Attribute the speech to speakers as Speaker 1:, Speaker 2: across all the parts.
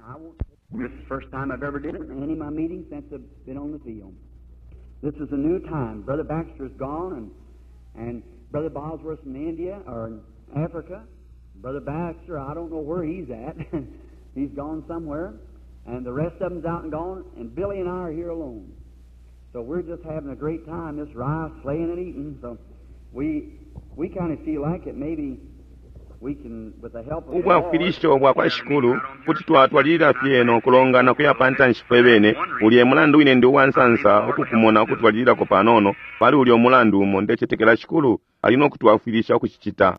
Speaker 1: I won't. This is the first time I've ever did it in any of my meetings since I've been on the field. This is a new time. Brother Baxter's gone, and Brother Bosworth's in India or in Africa. Brother Baxter, I don't know where he's at. He's gone somewhere. And the rest of them's out and gone, and Billy and I are here alone. So we're just having a great time, just rice, slaying and eating. So we kind of feel like it maybe we can, with the help of the Lord,
Speaker 2: Ubwafwilisho bwa kwa Shikulu kuti twatwalilila fye no kulongana kuya pa ntanshi fwe bene. Ulya mulandu wine ndi uwansansa ukukumona ukutwalililako panono pali ulya umulandu umo. Ndecetekela Shikulu ali no kutwafwilisha ukucicita.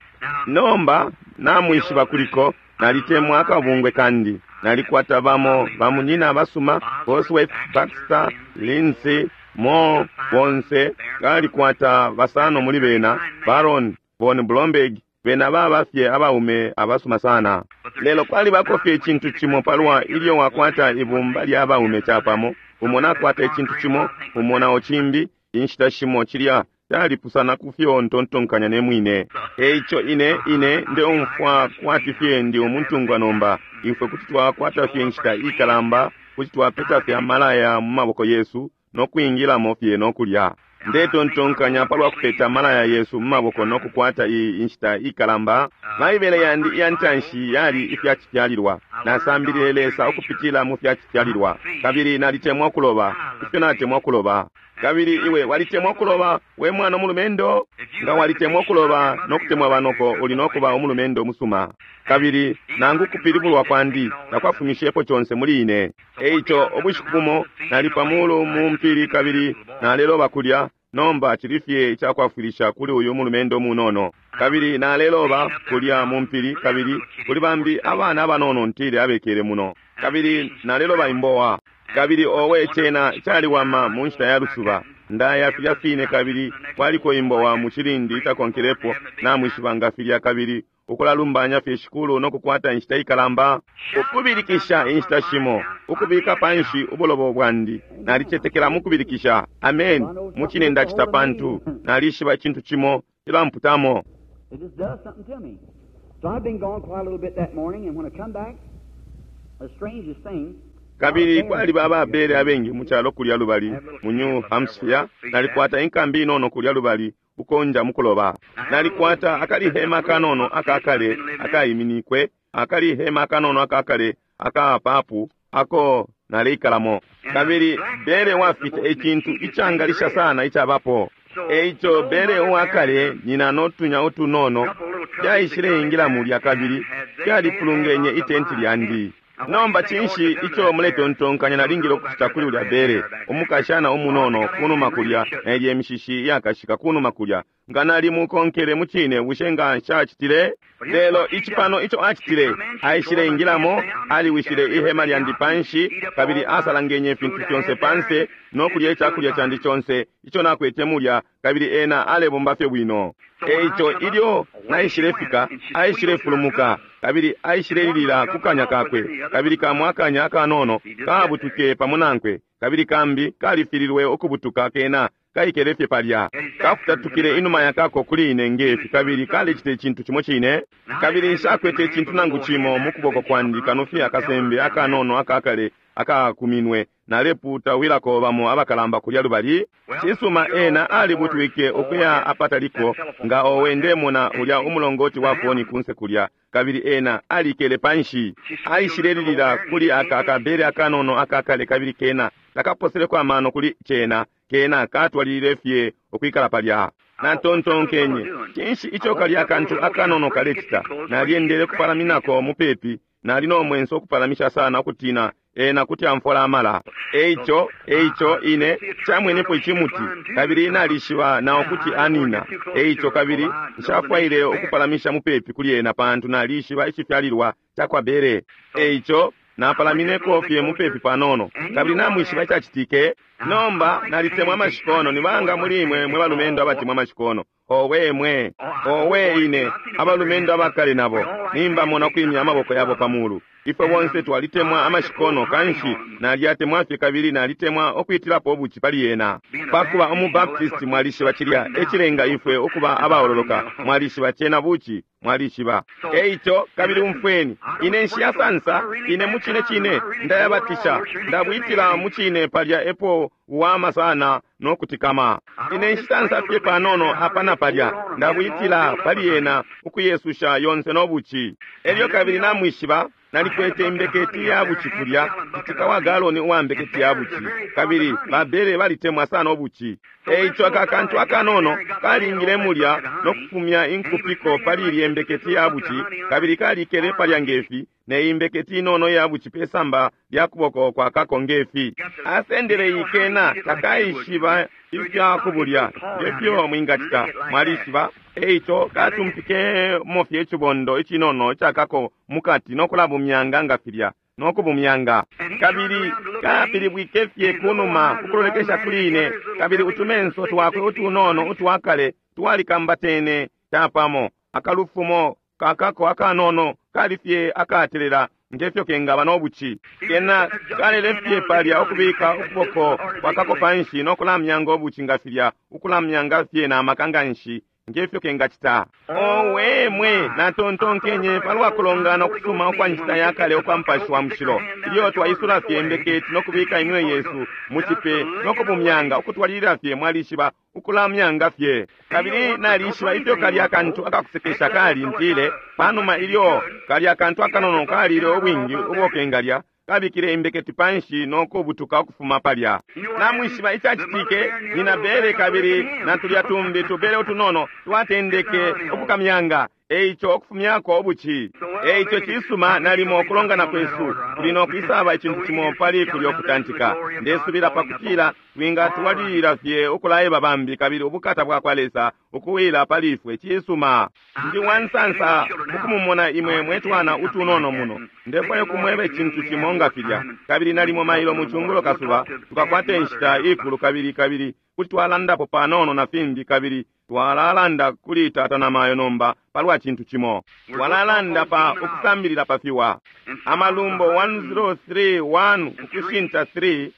Speaker 2: Nomba namwishiba kuliko nalitemwa akabungwe kandi nalikwata bamo bamunyina abasuma, Bosworth, Baxter, Lindsay, Moore, bonse balikwata basano muli bena, Baron von Blomberg, bena baba fye abaume abasuma sana. Lelo kwalibako fye icintu cimo palwa ilyo wakwata ibumba lya baume capamo, umo nakwata icintu cimo, umo nao cimbi, inshita shimo cilya calipusana ku fyo ntontonkanya ne mwine. Eico ine ndeumfwa kwati fye ndi umuntungwa nomba. Ifwe kuti twakwata fye inshita ikalamba, kuti twapeta fye amalaya mu maboko yesu no kwingilamo fye no kulya. Ndetontonkanya palwa kupeta amalaya yesu mu maboko no kukwata iyi inshita ikalamba. Baibele yandi iya ntanshi yali ifyacifyalilwa. Nasambilile Lesa ukupitila mu fyacifyalilwa, kabili nalitemwa kuloba ifyo natemwa kuloba. Kabili iwe walitemwa kuloba, we mwana umulumendo? Nga walitemwa kuloba no kutemwa banoko, uli no kuba umulumendo musuma. Kabili nangu kupilibulwa kwandi takwafumishepo conse muli ine. Eico ubushiku bumo nali pa mulu mu mpili kabili naleloba kulya. Nomba cili fye icakwafwilisha kuli uyu mulumendo munono. Kabili naleloba kulya mu mpili, kabili kuli bambi abana abanono ntile abekele muno, kabili naleloba imbowa. Kabili owe cena caliwama mu nshita ya lusuba, ndaya filya fine, kabili kwaliko imbowa mu cilindi icakonkelepo, namwishiba nga filya, kabili ukulalumbanya fye Shikulu no kukwata inshita ikalamba, ukubilikisha inshita shimo, ukubika panshi ubulobo bwandi. Nalicetekela mu kubilikisha. Amen. Mucine ndacita, pantu nalishiba icintu cimo cilamputamo.
Speaker 1: It just does something to me. So I've been gone quite a little bit that morning, and when I come back, the strangest thing.
Speaker 2: Kabili kwaliba ababele abengi mu calo kulya lubali mu New Hampshire. Nalikwata inkambi inono kulya lubali ukonja mukuloba. Nalikwata akalihema kanono akakale akayiminikwe, akalihema akanono akakale akapapu ako naleikalamo. Kabili bere wafita icintu icangalisha sana icabapo. Eico bere uwakale nyina notunya utunono fyaishileingila mulya kabili fyalipulungenye itenti lyandi. Nomba cinshi ico muletontonkanya nalingile ukucita kuli ulya bere umukashana umunono kunuma kulya nelye imishishi iyakashika kunuma kulya? Nga nalimukonkele mucine, bushe nga nshacitile? Lelo ici pano ico acitile: aishileingilamo, aliwishile ihema lyandi panshi, kabili asalangenye ifintu fyonse panse no kulya icakulya candi conse ico nakwete mulya, kabili ena alebomba fye bwino. Eico ilyo naishilefika, aishilefulumuka kabili aishilelilila ku kanya kakwe, kabili kamo akanya akanono kabutuke pamo nankwe, kabili kambi kalifililwe ukubutuka, kena kaikele fye palya, kafutatukile inuma yakako kuli ine ngefi, kabili kalecita icintu cimo cine. Kabili nshakwete icintu nangu cimo mu kuboko kwandi kano fye akasembe akanono akakale akakuminwe naleputawilako bamo abakalamba kulya lubali. Cisuma, ena alibutwike ukuya apataliko nga owe ndemona ulya umulongoti wa foni kunse kulya, kabili ena alikele panshi, aishilelilila kuli aka akabele akanono akakale, kabili kena takaposeleko amano kuli cena, kena katwalilile fye ukwikala palya. Natontonkenye, cinshi ico kalya akantu akanono kalecita? Nalyendele kupalaminako mupepi. Nali no mwenso ukupalamisha sana, ukutina ena kuti amfola amala. Eico ine camwenepo icimuti, kabili nalishiba nao kuti anina. Eico kabili nshafwaile ukupalamisha mupepi kuli ena, pantu nalishiba icifyalilwa cakwa bere. Eico napalamineko fye mupepi panono, kabili namwishiba icacitike? Nomba nalitemwa amashikono. Ni banga muli imwe mwe balumendo abatemwa amashikono? Owe mwe, owe ine, abalumendo abakale nabo nimbamona kwimya amaboko yabo pa mulu. Ifwe bonse twalitemwa amashikono, kanshi nalyatemwa fye kabili nalitemwa ukwitilapo ubuci pali yena. Pakuba umubaptist, mwalishiba cilya ecilenga ifwe ukuba abaololoka. Mwalishiba cena buci, mwalishiba. Eico kabili umfweni, ine nshiyasansa, ine mucine cine ndayabatisha, ndabwitila mucine palya epo uwama sana no kutikama. Ine nshisansa fye panono apa na palya, ndabwitila pali yena ukuyesusha yonse no buci. Elyo kabili namwishiba, nalikwete imbeketi ya buci kulya, citika wa galoni uwa mbeketi ya buci, kabili babere balitemwa sana ubuci. Eico aka kantu akanono kalingile mulya no kufumya inkupiko pali ilye mbeketi ya buci, kabili kalikele palya ngefi ne imbeketi inono ya buci pesamba lya kuboko kwa kako ngefi. Asendele ikena takaishiba ifya kubulya ngefyo mwingacita, mwalishiba. Eico katumpikemo fye icibondo icinono icakako mukati no kulabumyanga nga filya no kubumyanga, kabili kapilibwike fye kunuma ukulolekesha kuli ine, kabili utumenso twakwe utunono utwakale twalikambatene capamo. Akalufumo kakako akanono kali fye akatelela ngefyo kengaba no buci. Kena kalele fye palya ukubika ukuboko kwakako panshi no kulamyanga ubuci nga filya, ukulamyanga fye na maka nganshi ngefyo kengacita. Owe mwe, natontonkenye palwa kulongana ukusuma ukwa nshita ya kale ukwa Mupashi wa Mushilo, ilyo twaisula fye imbeketi no kubika iminwe yesu mu cipe no kubumyanga ukutwalilila fye, mwalishiba, ukulamyanga fye. Kabili nalishiba ifyo kalya kantu akakusekesha kali, ntile panuma ilyo kalya kantu akanono kalile ubwingi ubo kengalya, kabikile imbeketi panshi no kubutuka ukufuma palya. Namwishiba icacitike, nina bere kabili na tulya tumbi tubere utunono twatendeke ukukamyanga, eico ukufumyako ubuci. Eico cisuma nalimo ukulongana kwesu kuli no kwisaba icintu cimo pali kulyo kutantika. Ndesubila pakutila twingatwalilila fye ukulaeba bambi kabili ubukata bwa kwa Lesa ukuwila pali ifwe. Cisuma, ndi wansansa ukumumona imwe mwetwana utunono muno. Ndefwaya kumweba icintu cimo nga filya, kabili nalimo mailo mu cungulo kasuba tukakwata inshita ikulu, kabili kabili kuti twalandapo panono na fimbi, kabili twalalanda kuli tata na mayo nomba palwa cintu cimo. Twalalanda pa ukusambilila pa fiwa. Amalumbo 103:1 ukushinta 3,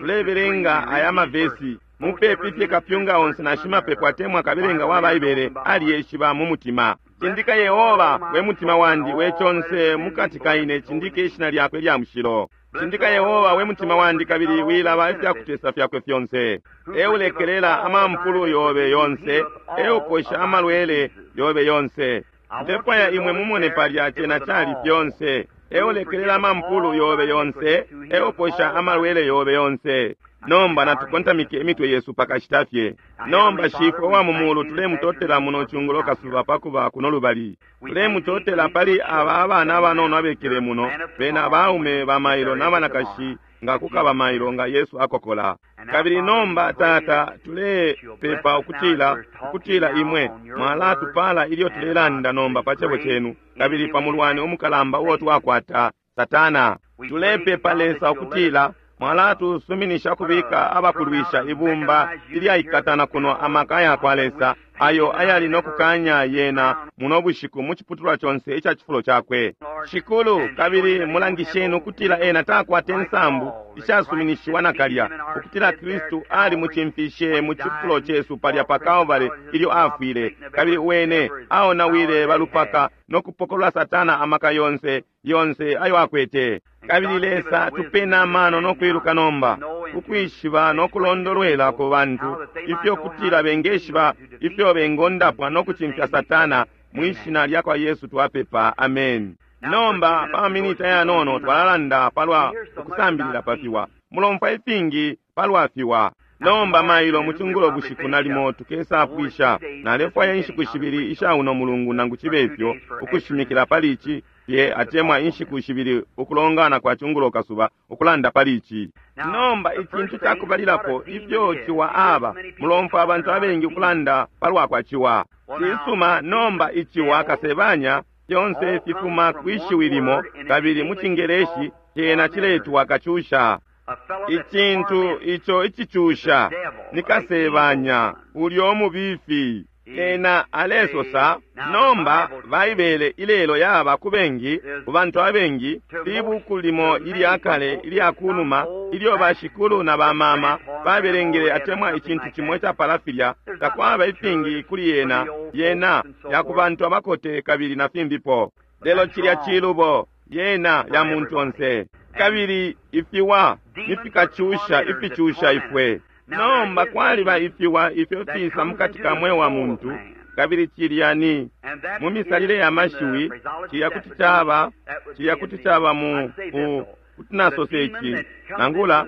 Speaker 2: tulebelenga aya mavesi mupepi fye kapyunga onse na shimapepo atemwa kabelenga wa Baibele aliyeshiba mu mutima. Cindika Yehova we mutima wandi, we conse mukati kaine, cindike ishina lyakwe lya mushilo. Cindika Yehova we mutima wandi, kabili wilaba ifyakutesa fyakwe fyonse. Eulekelela amampulu yobe yonse, euposha amalwele yobe yonse. Ndefwaya imwe mumone palya cena cali fyonse. Eulekelela amampulu yobe yonse, euposha amalwele yobe yonse. Nomba natukontamike imitwe yesu pakashita fye. Nomba Shifwe wa mu mulu, tulemutotela muno cungulo kasuba pakuba kuno lubali. Tulemutotela pali aba abana abanono abekele muno, bena abaume ba mailo n'abanakashi nga kukaba mailo nga Yesu akokola. Kabili nomba Tata, tulepepa ukutila ukutila imwe mwalatupala ilyo tulelanda nomba pa cebo cenu, kabili pa mulwani umukalamba uo twakwata, Satana. Tulepepa Lesa ukutila mwalatusuminisha kubika abakulwisha ibumba ilyaikatana kuno amaka ya kwa Lesa ayo ayali no kukanya yena muno bushiku mu ciputulwa conse ica cifulo cakwe. Shikulu, kabili mulangisheni ukutila ena takwate nsambu ishasuminishiwa nakalya, ukutila Kristu ali mucimfishe mu cifulo cesu palya pa Kalvary ilyo afwile, kabili wene aonawile balupaka no kupokolola Satana amaka yonse yonse ayo akwete. Kabili Lesa tupena amano no kwiluka nomba, ukwishiba no kulondolwela ku bantu ifyo kutila bengeshiba ifyo bengondapwa no kucimfya Satana. Mwishina lya kwa Yesu twapepa, amen. Nomba pa maminita yanono twalalanda palwa ukusambilila pa fiwa. Mulomfwa ifingi palwa fiwa. Nomba mailo mucungulo bushiku nalimo tukesapwisha. Nalefwaya inshiku shibili isha uno mulungu nangu cibe ifyo ukushimikila pali ici fye, atemwa inshiku shibili ukulongana kwa cungulo kasuba ukulanda pali ici. Nomba icintu cakubalilapo ifyo ciwa aba, mulomfwa abantu abengi ukulanda palwa kwa ciwa. Cisuma, nomba iciwa kasebanya fyonse fifuma kwishiwi limo, kabili mu Cingeleshi cena ciletwa kacusha. Icintu ico icicusha ni kasebanya ulyo mubifi. Ena alesosa, nomba Baibele ilelo yaba ku bengi, ku bantu abengi, libuku limo ilya kale ilya kunuma ilyo bashikulu na bamama babelengele atemwa icintu cimo icapala filya, takwaba ifingi kuli yena, yena ya ku bantu abakote kabili na fimbipo. Lelo cilya cilubo, yena ya muntu onse. Kabili ifiwa nifikacusha ificusha ifwe. Nomba kwaliba ifiwa ifyo fisa mukati ka mweo wa muntu, kabili cilya ni mu misalile ya mashiwi, cilya kuti caba, cilya kuti caba mu kuti nasose ici, nangula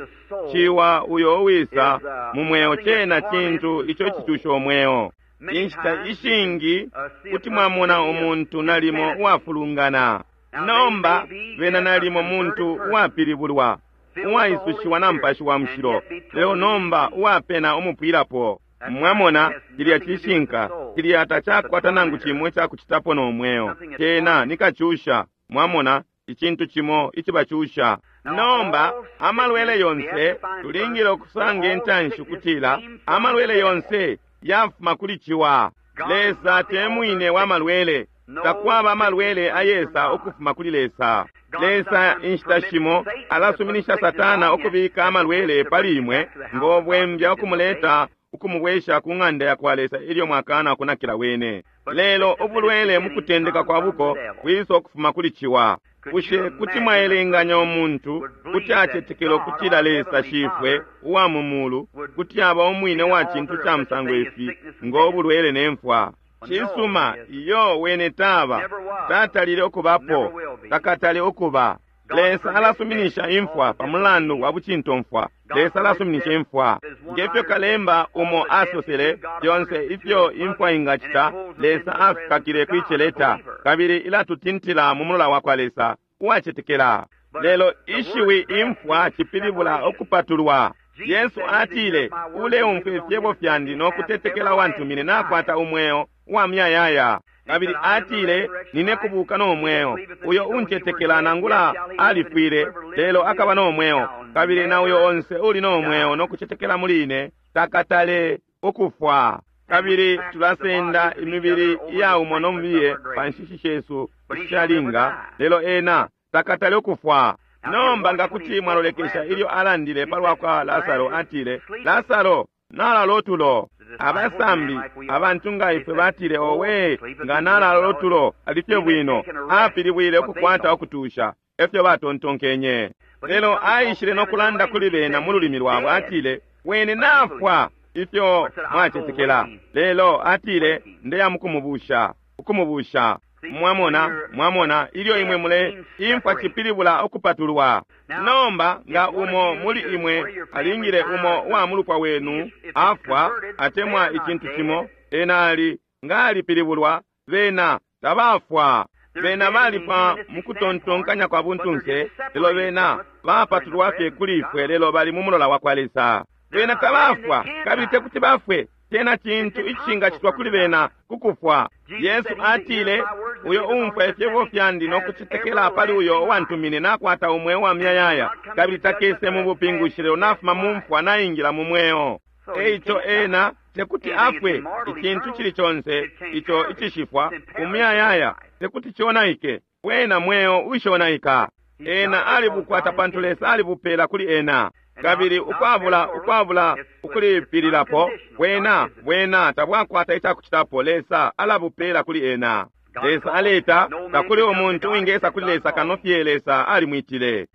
Speaker 2: ciwa uyo uwisa mu mweo cena cintu ico cicusha umweo. Inshita ishingi kuti mwamona umuntu nalimo uwafulungana. Nomba bena nalimo muntu uwapilibulwa, uwaisushiwa na Mupashi wa Mushilo, lelo nomba uwapena umupwilapo. Mwamona, cilya cishinka, cilya tacakwata nangu cimo icakucitapo no mweo. Cena ni kacusha, mwamona, icintu cimo icibacusha. Nomba amalwele yonse tulingile ukusanga intanshi ukutila amalwele yonse yafuma kuli ciwa. Lesa te mwine wa malwele. Takwaba amalwele ayesa ukufuma kuli Lesa. Lesa inshita shimo alasuminisha Satana ukubika amalwele pali imwe ngo bwembya ukumuleta ukumubwesha ku ng'anda ya kwa Lesa ilyo mwakana kunakila wene. Lelo ubulwele mu kutendeka kwa buko bwisa ukufuma kuli ciwa. Bushe kuti mwaelenganya umuntu kuti acetekela ukutila Lesa Shifwe uwa mu mulu kuti aba umwine wa cintu ca musango ifi ngo bulwele ne mfwa? Cisuma, iyo wene taba, tatalile ukubapo, takatale ukuba. Lesa alasuminisha imfwa pa mulandu wa bucintomfwa. Lesa alasuminisha imfwa. Ngefyo kalemba umo asosele, fyonse ifyo imfwa ingacita, Lesa afikakile kwiceleta, kabili ilatutintila mu mulola wa kwa Lesa uwacetekela. Lelo ishiwi imfwa cipilibula ukupatulwa. Yesu atile, uleumfwa ifyebo fyandi no kutetekela wantumine nakwata umweo wa muyayaya. Kabili atile, nine kubuka no mweo. Uyo uncetekela nangula alifwile, lelo akaba no mweo. Kabili na uyo onse uli no mweo no kucetekela muli ine, takatale ukufwa. Kabili tulasenda imibili iyaumwa no mubiye pa nshishi shesu ishalinga, lelo ena takatale ukufwa. Nomba nga kuti mwalolekesha ilyo alandile palwa kwa Lasaro, atile, Lasaro nalalo otulo. Abasambi abantu nga ifwe batile, owe, nga nalalo otulo alifye bwino, apilibwile ukukwata ukutusha, efyo batontonkenye. Lelo aishile no kulanda kuli bena mu lulimi lwabo, atile, wene nafwa ifyo mwacetekela. Lelo atile, ndeya mukumubusha, ukumubusha. Mwamona, mwamona, ilyo imwe mule imfwa cipilibula ukupatulwa. Nomba nga umo muli imwe alingile umo wa mulupwa wenu afwa atemwa icintu cimo, ena ali nga alipilibulwa, bena tabafwa. Bena balifwa mukutontonkanya kwa buntunse, lelo bena bapatulwa fye kuli ifwe, lelo bali mu mulola wa kwa Lesa. Bena tabafwa, kabili tekuti bafwe. Tena cintu icingacitwa kuli bena kukufwa. Yesu atile, uyo umfwa ifyebo fyandi no kucetekela pali uyo uwantumine nakwata umweo wa muyayaya, kabili takese mu bupingushi, lelo nafuma mu mfwa naingila mu mweo. Eico ena tekuti afwe. Icintu cili conse ico icishifwa umuyayaya tekuti cionaike, wena mweo ushonaika. Ena alibukwata pantu Lesa alibupela kuli ena. Kabili ukwabula ukwabula ukulipililapo, bwena bwena tabwakwata icakucitapo, Lesa alabupela kuli ena. Lesa aleta, takuli umuntu uwingesa kuli Lesa kano fye Lesa alimwitile.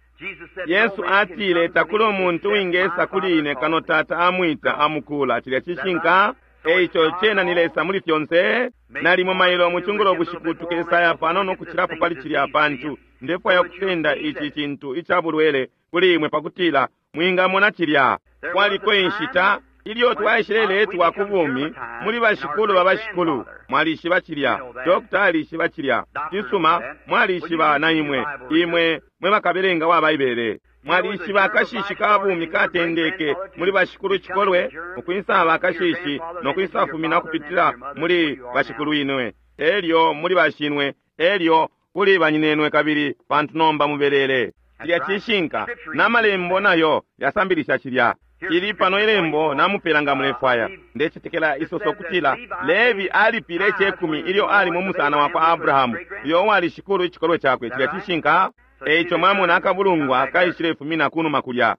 Speaker 2: Yesu atile, takuli umuntu uwingesa kuli ine kano Tata amwita amukula. Cilya cishinka. Eico cena ni Lesa muli fyonse. Nalimo mailo mucungulo bushiku tukesaya panono kucilapo pali cilya, pantu ndefwaya ukusenda ici cintu ica bulwele kuli imwe pakutila mwingamona cilya. Kwaliko inshita ilyo twaishileletwa ku bumi muli bashikulu ba bashikulu. Mwalishiba cilya, dokta alishiba cilya, cisuma, mwalishiba na imwe, imwe mwe bakabelenga wa Baibele. Mwalishiba akashishi ka bumi katendeke muli bashikulu cikolwe, ukwisaba akashishi no kwisafumina ukupitila muli bashikulu inwe, elyo muli bashinwe, elyo kuli banyinenwe, kabili pantu nomba mubelele. Cilya cishinka, na malembo nayo yasambilisha cilya. Ili pano ilembo namupela nga mulefwaya. Ndecetekela isoso kutila Levi alipile icekumi ilyo ali mu musana wa kwa Abrahamu, uyo uwali shikulu icikolwe cakwe. Cilya cishinka. Eico mwamona akabulungwa kaishilefumina kunuma kulya.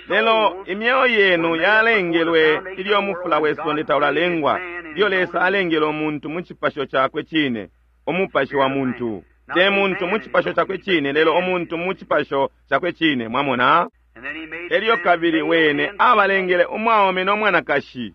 Speaker 2: Lelo imyeo yenu yalengelwe ilyo mufula we sonde taulalengwa, ilyo Lesa alengele umuntu mu cipasho cakwe cine, umupashi wa muntu. Te muntu mu cipasho cakwe cine, lelo umuntu mu cipasho cakwe cine. Mwamona? Elyo kabili wene abalengele umwaume no mwanakashi,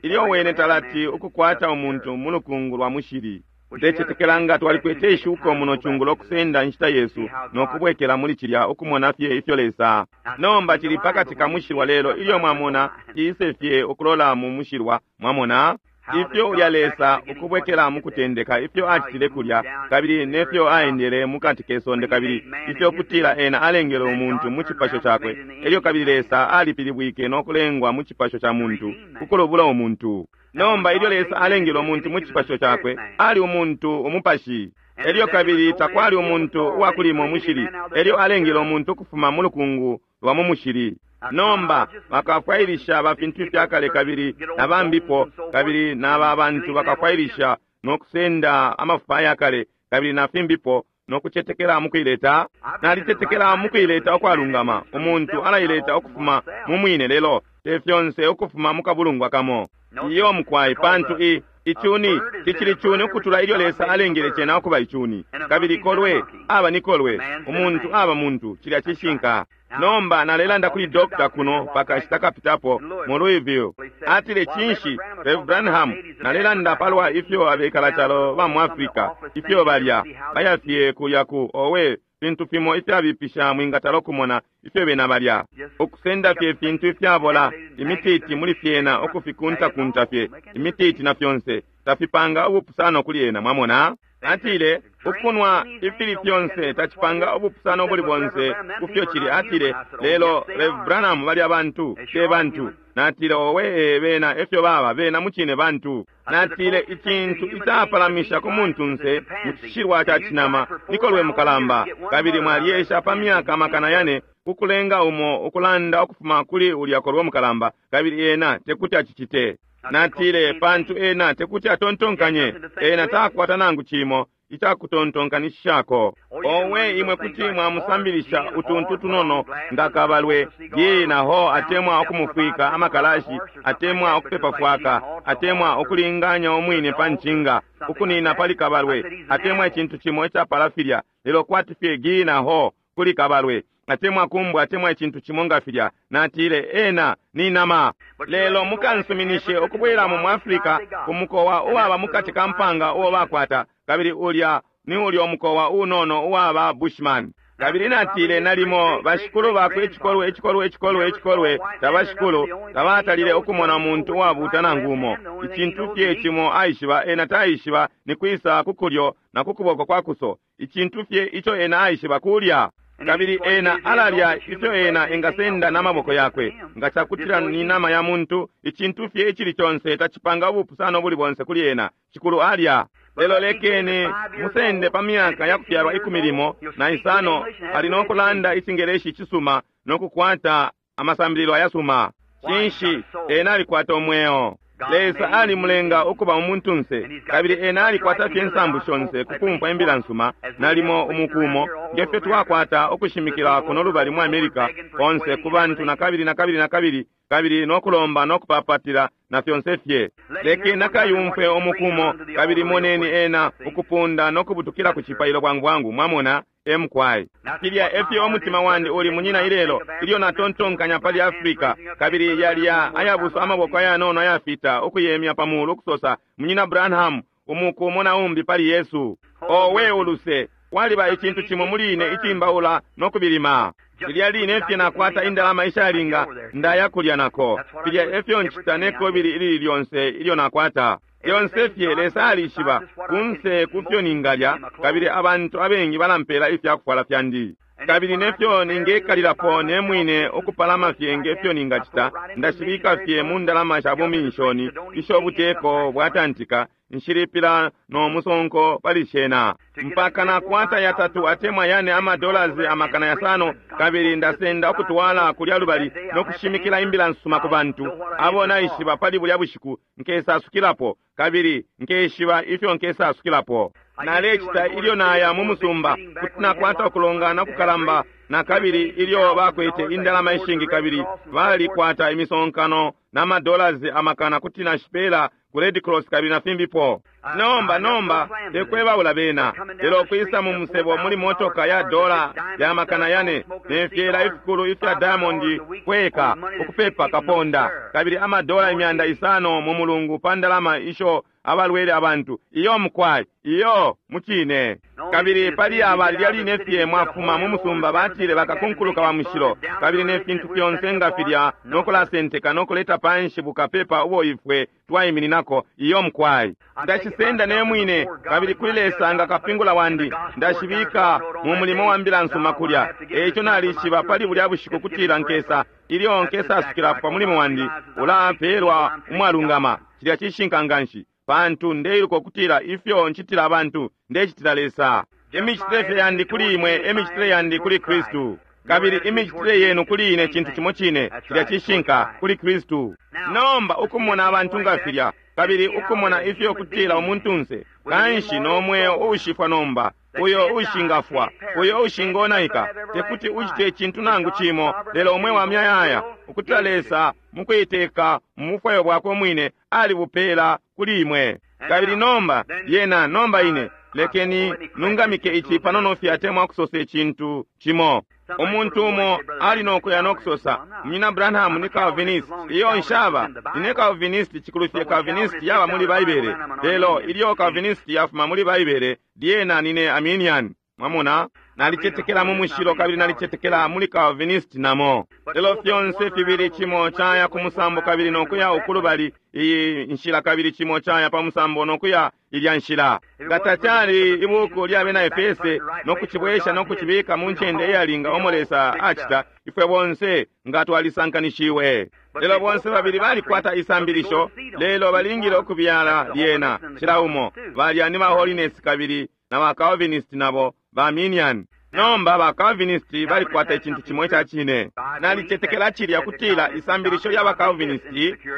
Speaker 2: ilyo wene talati ukukwata umuntu mu lukungu lwa mushili. Ndecetekela nga twalikwete ishuko muno cungulo kusenda inshita yesu no kubwekela muli cilya ukumona fye ifyo Lesa. Nomba cili pakati ka mushilwa, lelo ilyo mwamona ciise fye ukulola mu mushilwa, mwamona ifyo ulya Lesa ukubwekela mu kutendeka, ifyo acitile kulya, kabili nefyo aendele mukati ke sonde, kabili ifyo kutila ena alengele umuntu mu cipasho cakwe. Elyo kabili Lesa alipilibwike no kulengwa mu cipasho ca muntu, ukulubula umuntu. Nomba ilyo Lesa alengele umuntu mu cipasho cakwe, ali umuntu umupashi. Elyo kabili takwali umuntu uwakulima umushili, elyo alengele umuntu ukufuma mu lukungu lwa mu mushili. Nomba bakafwailisha ba fintu ifyakale kabili na bambipo, kabili naba bantu bakafwailisha no kusenda amafupa ayakale kabili na fimbipo, no kucetekela mukuileta. Nalicetekela mukuileta ukwalungama. Umuntu alaileta ukufuma mu mwine, lelo te fyonse ukufuma mu kabulungwa kamo. Iyo mukwai, pantu icuni cicili cuni ukutula ilyo Lesa alengele cena ukuba icuni. Kabili kolwe aba ni kolwe, umuntu aba muntu. Cilya cishinka. Nomba nalelanda kuli dokta kuno pakashita kapitapo mu Louisville. Atile, cinshi Rev Branham, nalelanda palwa ifyo abekala calo ba mu Africa ifyo balya baya fye kulya ku owe fintu fimo ifyabipisha mwingatala ukumona ifyo bena balya, ukusenda fye fintu ifyabola, imititi muli fyena, ukufikuntakunta fye imititi na fyonse, tafipanga ubupusano kuli ena. Mwamona? Atile, ukunwa ifili fyonse tacipanga ubupusano buli bonse kufyo cili. Atile, lelo Rev Branham, balya bantu te bantu. Natile, owe, bena efyo baba, bena mucine bantu. Natile, icintu icapalamisha ku muntunse mu cishilwa ca cinama nikolwe mukalamba, kabili mwaliesha pa myaka makana yane kukulenga umo ukulanda ukufuma kuli ulya kolwe mukalamba, kabili ena tekuti acicite. Natile, pantu ena tekuti atontonkanye, ena takwata nangu cimo icakutontonkanishishako. Owe, imwe kuti mwamusambilisha utuntu tunono nga kabalwe ye naho, atemwa ukumufwika amakalashi, atemwa ukupepa fwaka, atemwa ukulinganya umwine pa ncinga, ukunina pali kabalwe, atemwa icintu cimo icapala filya, lelo kwati fye gi naho kuli kabalwe, atemwa kumbwa, atemwa icintu cimo nga filya. Natile, ena ni nama. Lelo mukansuminishe ukubwelamo mu Afrika ku mukowa uwaba mukati ka mpanga uo bakwata, kabili ulya ni ulya umukowa unono uwaba Bushman. Kabili natile, nalimo bashikulu bakwe icikolwe icikolwe icikolwe icikolwe tabashikulu tabatalile ukumona umuntu uwabuta nangu umo. Icintu fye cimo aishiba, ena taishiba ni kwisa ku kulyo na ku kuboko kwa kuso. Icintu fye ico ena aishiba kulya. Kabili ena alalya ifyo ena engasenda n'amaboko yakwe. Nga cakutila ni nama ya muntu, icintu fye icili conse tacipanga ubupusano buli bonse kuli ena, shikulu alya. Lelo lekeni musende pa myaka ya kufyalwa 15, ali no kulanda icingeleshi cisuma no kukwata amasambililo ayasuma. Cinshi? Ena alikwata umweo. Lesa alimulenga ukuba umuntunse, kabili ena alikwata fye nsambu shonse kukumfwa imbila nsuma, nalimo umukumo ngefyo twakwata ukushimikila kuno lubali mu America konse ku bantu na kabili na kabili na kabili, kabili no kulomba no kupapatila na fyonse fye. Leke nakayumfwe umukumo, kabili moneni ena ukupunda no kubutukila ku cipailo bwangu bwangu. Mwamona? Emukwai. Filya efyo umutima wandi uli munyina ilelo, ilyo natontonkanya pali Afrika, kabili yalya ayabuso amaboko ayanono ayafita ukuyemya pa mulu ukusosa, Munyina Branham, umukumo na umbi pali Yesu. Owe uluse, kwaliba icintu cimo muli ine icimbaula no kubilima. Filya line fye nakwata indalama ishalinga ndaya kulya nako. Filya efyo ncita ne kobili ilili lyonse ilyo nakwata. Lyonse fye Lesa alishiba kunse kufyo ningalya, kabili abantu abengi balampela ifyakufwala fyandi. Kabili nefyo ningekalilapo ne mwine ukupalama fye ngefyo ningacita, ndashibika fye mu ndalama sha buminshoni isho buteko bwatantika. Nshilipila no musonko pali shena mpaka nakwata yatatu atemwa yane ama dollars 500,000, kabili ndasenda ukutwala kulya lubali no kushimikila imbila nsuma ku bantu abo naishiba pali bulya bushiku nkesasukilapo, kabili nkeshiba ifyo nkesasukilapo. Nalecita ilyo naya mu musumba kuti nakwata ukulongana kukalamba, na kabili ilyo bakwete indalama ishingi kabili balikwata imisonkano na madollars amakana kuti nashipela ku Red Cross kabili na fimbipo. Nomba tekwebaula bena, lelo kwisa mu musebo muli motoka ya dola ya 400,000 ne fyela ifikulu ifya diamond kweka ukupepa kaponda, kabili amadola 500 mu mulungu pa ndalama isho abalwele abantu. Iyo mukwai, iyo mucine. Kabili pali aba lilya line fye mwafuma mu musumba batile bakakunkuluka wa mushilo, kabili ne fintu fyonse nga filya no kulasenteka no kuleta panshi bukapepa ubo ifwe twaimininako. Iyo mukwai, ndashisenda ne mwine, kabili kuli Lesa nga kapingula wandi ndashibika mu mulimo wa mbila nsuma kulya. Eico nalishiba pali bulya bushiku kutila nkesa ilyo nkesasukila pa mulimo wandi ulapelwa umwalungama. Cilya cishinka nganshi, pantu ndeiluka ukutila ifyo ncitila abantu ndecitila Lesa. Imicitile fye yandi kuli imwe emicitile yandi kuli Kristu, kabili imicitile yenu kuli ine cintu cimo cine. Cilya cishinka kuli Kristu. Nomba ukumona abantu nga filya, kabili ukumona ifyo kutila umuntunse kanshi no mweo uushifwa nomba, uyo ushingafwa, uyo ushingonaika, tekuti ucite icintu nangu cimo lelo umwe wa myayaya, ukutila Lesa mukuiteka mu bufwayo bwakwe mwine alibupela kuli imwe. Kabili nomba yena, nomba ine lekeni nungamike ici panono fye atemwa kusosa icintu cimo. Umuntu umo ali nokuya nokusosa, Munyina Branham ni Calvinist. Iyo nshaba ine Calvinist, cikulu fye Calvinist yaba muli Baibele, lelo ilyo Calvinist yafuma muli Baibele lyena nine Arminian. Mwamona, nalicetekela mu mushilo kabili nalicetekela muli Calvinist namo, lelo fyonse fibili cimo caya ku musambo kabili nokuya ukulubali iyi nshila, kabili cimo caya pa musambo nokuya ilya nshila. Nga tacali ibuku lya bena Efese nokucibwesha nokucibika mu ncende iyalinga omo Lesa acita, ifwe bonse nga twalisankanishiwe. Lelo bonse babili balikwata isambilisho, lelo balingile ukubyala lyena cila umo. Balya ni ba Holiness kabili na ba Calvinist nabo ba Arminian. Nomba ba Calvinist balikwata icintu cimo ica cine. Nalicetekela cilya kutila isambilisho lya ba Calvinist,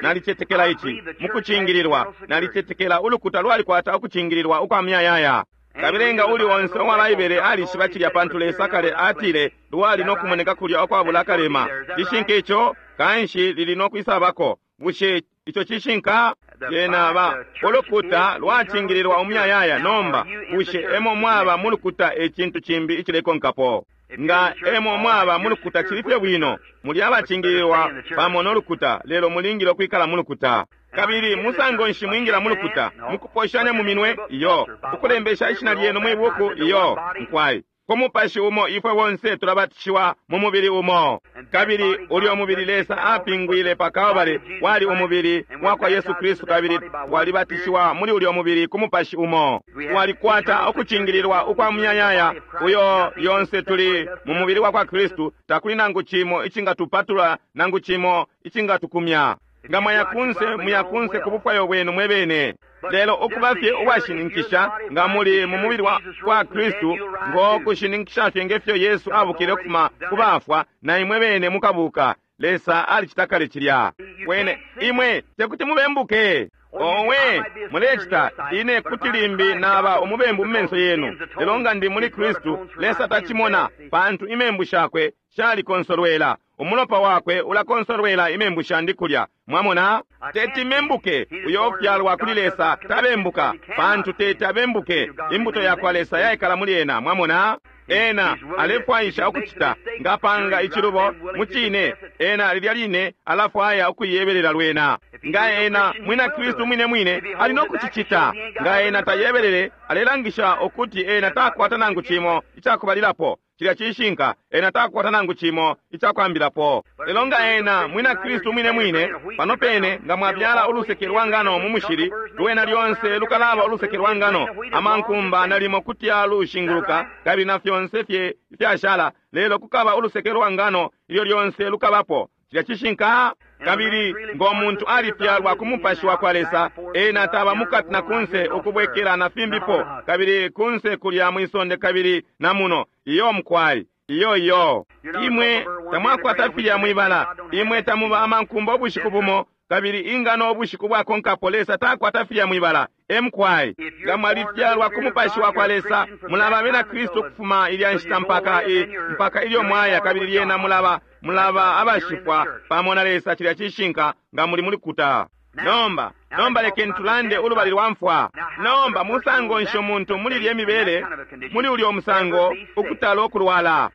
Speaker 2: nalicetekela ici mukucingililwa, nalicetekela ulukuta lwalikwata ukucingililwa ukwa myayaya. Kabili nga uli onse uwa Baibele alishiba cilya, pantu Lesa kale atile lwali no kumoneka kulya ukwabula akalema. Cishinka ico, kanshi lili no kwisabako. Bushe ico cishinka? Lyena ba ulukuta lwacingililwa umuyayaya. Nomba bushe emo mwaba mu lukuta ecintu cimbi icilekonkapo? Nga emo mwaba mu lukuta cili fye bwino, muli abacingililwa pamo no lukuta, lelo mulingile ukwikala mu lukuta. Kabili musango nshi mwingila mu lukuta? Mukuposhanya mu minwe? Iyo. Ukulembesha ishina lyenu mwi buku? Iyo. Nkwai ku mupashi umo ifwe bonse tulabatishiwa mu mubili umo, kabili ulyo mubili Lesa apingwile pa Kalbale wali umubili wa kwa Yesu Kristu, kabili walibatishiwa muli ulyo mubili ku mupashi umo. Walikwata ukucingililwa ukwa muyayaya uyo yonse tuli mu mubili wa kwa Kristu. Takuli nangu cimo icingatupatula, nangu cimo icingatukumya. Nga mwayakunse, muyakunse ku bufwayo bwenu mwebene. Lelo ukuba fye uwashininkisha nga muli mu mubili wa kwa Kristu, ngo kushininkisha fye ngefyo Yesu abukile ukufuma ku bafwa, na imwe bene mukabuka. Lesa alicita kale cilya. Wene imwe tekuti mubembuke. Owe mulecita, ine kuti limbi naba umubembu mu menso yenu, lelo nga ndi muli Kristu, Lesa tacimona, pantu imembu shakwe shalikonsolwela. Umulopa wakwe ulakonsolwela imembu shandi kulya. Mwamona, teti membuke. Uyo ufyalwa kuli Lesa tabembuka, pantu teti abembuke. Imbuto yakwa Lesa yaikala muli ena. Mwamona, ena alefwaisha ukucita ngapanga icilubo mucine, ena lilya line alafwaya ukuyebelela lwena. Nga ena mwina Kristu mwine mwine ali no kucicita. Nga ena tayebelele, alelangisha ukuti ena takwata nangu cimo icakubalilapo. Cilya cishinka, ena takwata nangu cimo icakwambilapo. Lelo nga ena mwina Kristu mwine mwine, pano pene nga mwabyala uluseke lwa ngano mu mushili, lwena lyonse lukalaba uluseke lwa ngano. Amankumba nalimo kuti alushinguluka kabili na fyonse fye ifyashala, lelo kukaba uluseke lwa ngano ilyo lyonse lukabapo. Cilya cishinka. Kabili ngo muntu alifyalwa ku Mupashi wa kwa Lesa, ena taba mukati na kunse ukubwekela na fimbipo, kabili kunse kulya mwisonde kabili na muno. Iyo mukwai. Iyo iyo. Imwe tamwakwata filya mwibala. Imwe tamuba amankumba ubushiku bumo, kabili ingano ubushiku bwakonkapo. Lesa takwata filya mwibala. Emkwai. Nga mwalifyalwa ku Mupashi wa kwa Lesa, mulaba abena Kristu kufuma ilya nshita mpaka mpaka ilyo mwaya, kabili lyena mulaba mulaba abashifwa pamo na Lesa. Cilya cishinka nga muli muli kuta. Nomba, nomba lekeni tulande ulubali lwa mfwa. Nomba musango nshi umuntu muli lye mibele, muli ulyo musango ukutala ukulwala?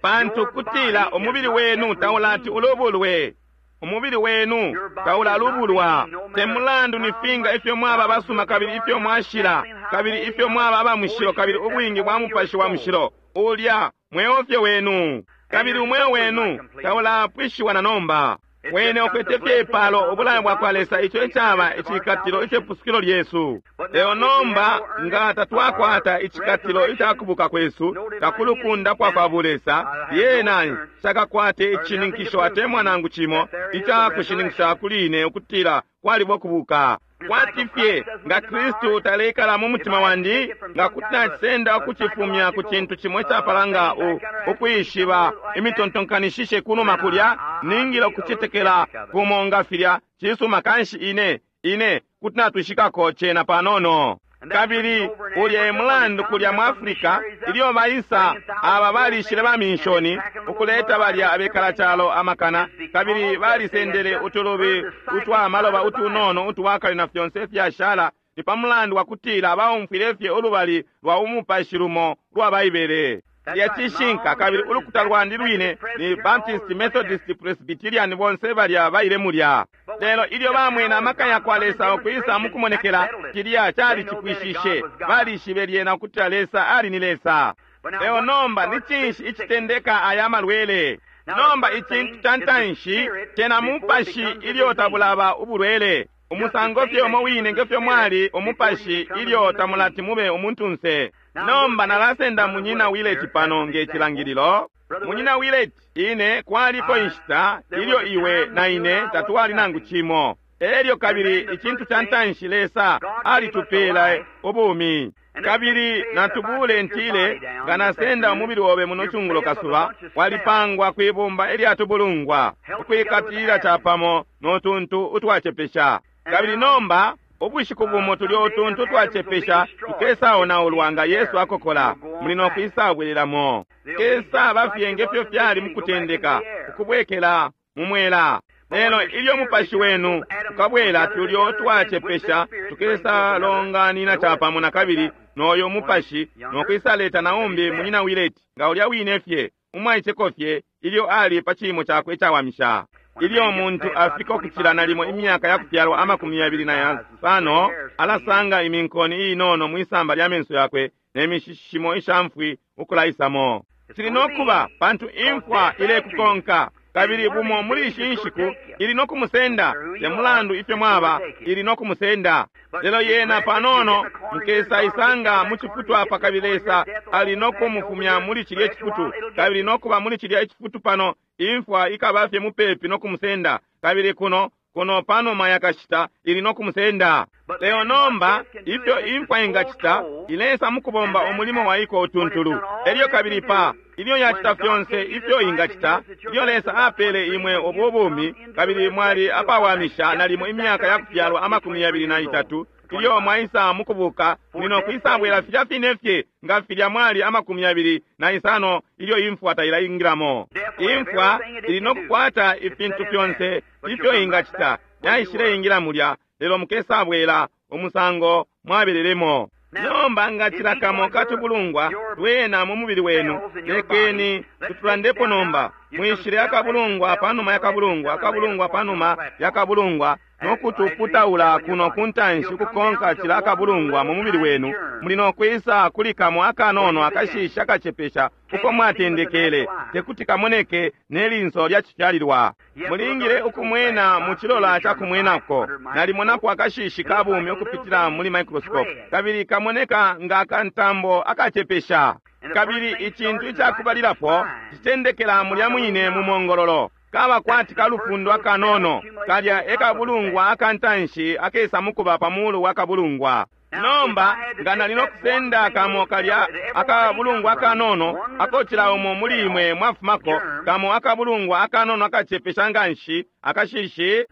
Speaker 2: Pantu kutila umubili wenu taulati ulubulwe. Umubili wenu taulalubulwa. Te mulandu ni finga ifyo mwaba basuma kabili ifyo mwashila, kabili ifyo mwaba aba mushilo, kabili ubwingi bwa Mupashi wa Mushilo, ulya mweo fye wenu. Kabili umweo wenu taulapwishiwa na nomba. Wene ukwete fye ipalo, ubulayo bwa kwa Lesa, ico icaba icikatilo icepusukilo lyesu. Lelo nomba nga tatwakwata icikatilo icakubuka kwesu, takulukunda kwa kwa bulesa, lyena shakakwate icininkisho atemwa nangu cimo icakushininkisha kuli ine ukutila kwalibo kubuka. Kwati fye nga Kristu taleikala mu mutima wandi, nga kuti nacisenda ukucifumya ku cintu cimo icapalanga ukwishiba imitontonkanishishe kunuma kulya, ningile ukucetekela kumo nga filya. Cisuma, kanshi ine ine kuti natwishikako cena panono. Kabili ulya e mulandu kulya mu Africa, ilyo baisa aba balishile ba minshoni ukuleta balya abekala calo amakana, kabili balisendele utulubi utwa maloba utunono utwakale na fyonse ifyashala, ni pa mulandu wa kutila baumfwile fye ulubali lwa umupashi lumo lwa Baibele. Lya cishinka. Kabili ulukuta lwandi lwine ni Baptist, Methodist, Presbyterian, bonse balya baile mulya. Lelo ilyo bamwene amaka ya kwa Lesa ukwisa mukumonekela, cilya cali cipwishishe. Balishibe lyena ukutila Lesa ali ni Lesa. Lelo nomba ni cinshi icitendeka aya malwele? Nomba icintu ca ntanshi cena mupashi ilyo tabulaba ubulwele. Umusango fye umo wine ngefyo mwali umupashi ilyo tamulati mube umuntunse. Nomba nalasenda Munyina Willett pano nge cilangililo. Munyina Willett, ine kwaliko inshita ilyo iwe na ine tatwali nangu cimo. Elyo kabili icintu ca ntanshi Lesa alitupela ubumi. Kabili natubule ntile nga nasenda umubili obe muno cungulo kasuba, walipangwa kwibumba ilyatubulungwa, ukwikatilila capamo no tuntu utwacepesha. Kabili nomba ubushiku bumo tulyo utuntu twacepesha tukesaonaulwa nga Yesu akokola, muli no kwisabwelelamo. Kesa bafye ngefyo fyali mukutendeka, ukubwekela mu mwela. Lelo ilyo mupashi wenu ukabwela, tulyo twacepesha tukesalonganina capamo na kabili noyo mupashi, no kwisaleta naumbi Munyina Willett nga ulya wine fye umwaiceko fye ilyo ali pa ciimo cakwe icawamisha. Ilyo umuntu afika ukucila nalimo imyaka ya kufyalwa 25, alasanga iminkoni inono mwisamba lya menso yakwe ne mishishimo ishamfwi ukulaisamo. Cili no kuba pantu imfwa ilekukonka, kabili bumo muli ishi nshiku ili no kumusenda. Te mulandu ifyo mwaba, ili no kumusenda. Lelo yena panono mukesa isanga mu cifutu apa, kabili Lesa ali no kumufumya muli cilya cifutu, kabili no kuba muli cilya cifutu pano imfwa ikaba fye mupepi no kumusenda, kabili kuno kuno panuma yakashita ili no kumusenda. Lelo nomba ifyo imfwa ingacita, ilesa mukubomba umulimo waiko utuntulu. Elyo kabili pa ilyo yacita fyonse ifyo ingacita, ilyo Lesa apele imwe ubu bumi, kabili mwali apawamisha nalimo imyaka ya kufyalwa 23, ilyo mwaisa mukubuka, muli no kwisabwela filya fine fye nga filya mwali 25 ilyo imfwa tailaingilamo. Imfwa ili no kukwata ifintu fyonse ifyo ingacita, yaishileingila mulya, lelo mukesabwela umusango mwabelelemo. Nomba nga cila kamo katubulungwa twena mu mubili wenu, lekeni tutulandepo nomba. Mwishile akabulungwa panuma yakabulungwa, akabulungwa panuma yakabulungwa, no kutuputaula kuno kuntanshi ukukonka cila akabulungwa mu mubili wenu, muli no kwisa kuli kamo akanono akashishi akacepesha uko mwatendekele, tekuti kamoneke nelinso lya cifyalilwa. Mulingile ukumwena mu cilola ca kumwenako. Nalimonapo akashishi ka bumi ukupitila muli microscope, kabili kamoneka nga kantambo akacepesha. Kabili icintu icakubalilapo citendekela mulya mwine mu mongololo. Kaba kwati kalufundo akanono, kalya ekabulungwa akantanshi akesa mukuba pa mulu wa kabulungwa. Nomba nga nali nokusenda kamo kalya akabulungwa akanono akocila umo muli imwe mwafumako, kamo akabulungwa akanono akacepesha nganshi akashishi.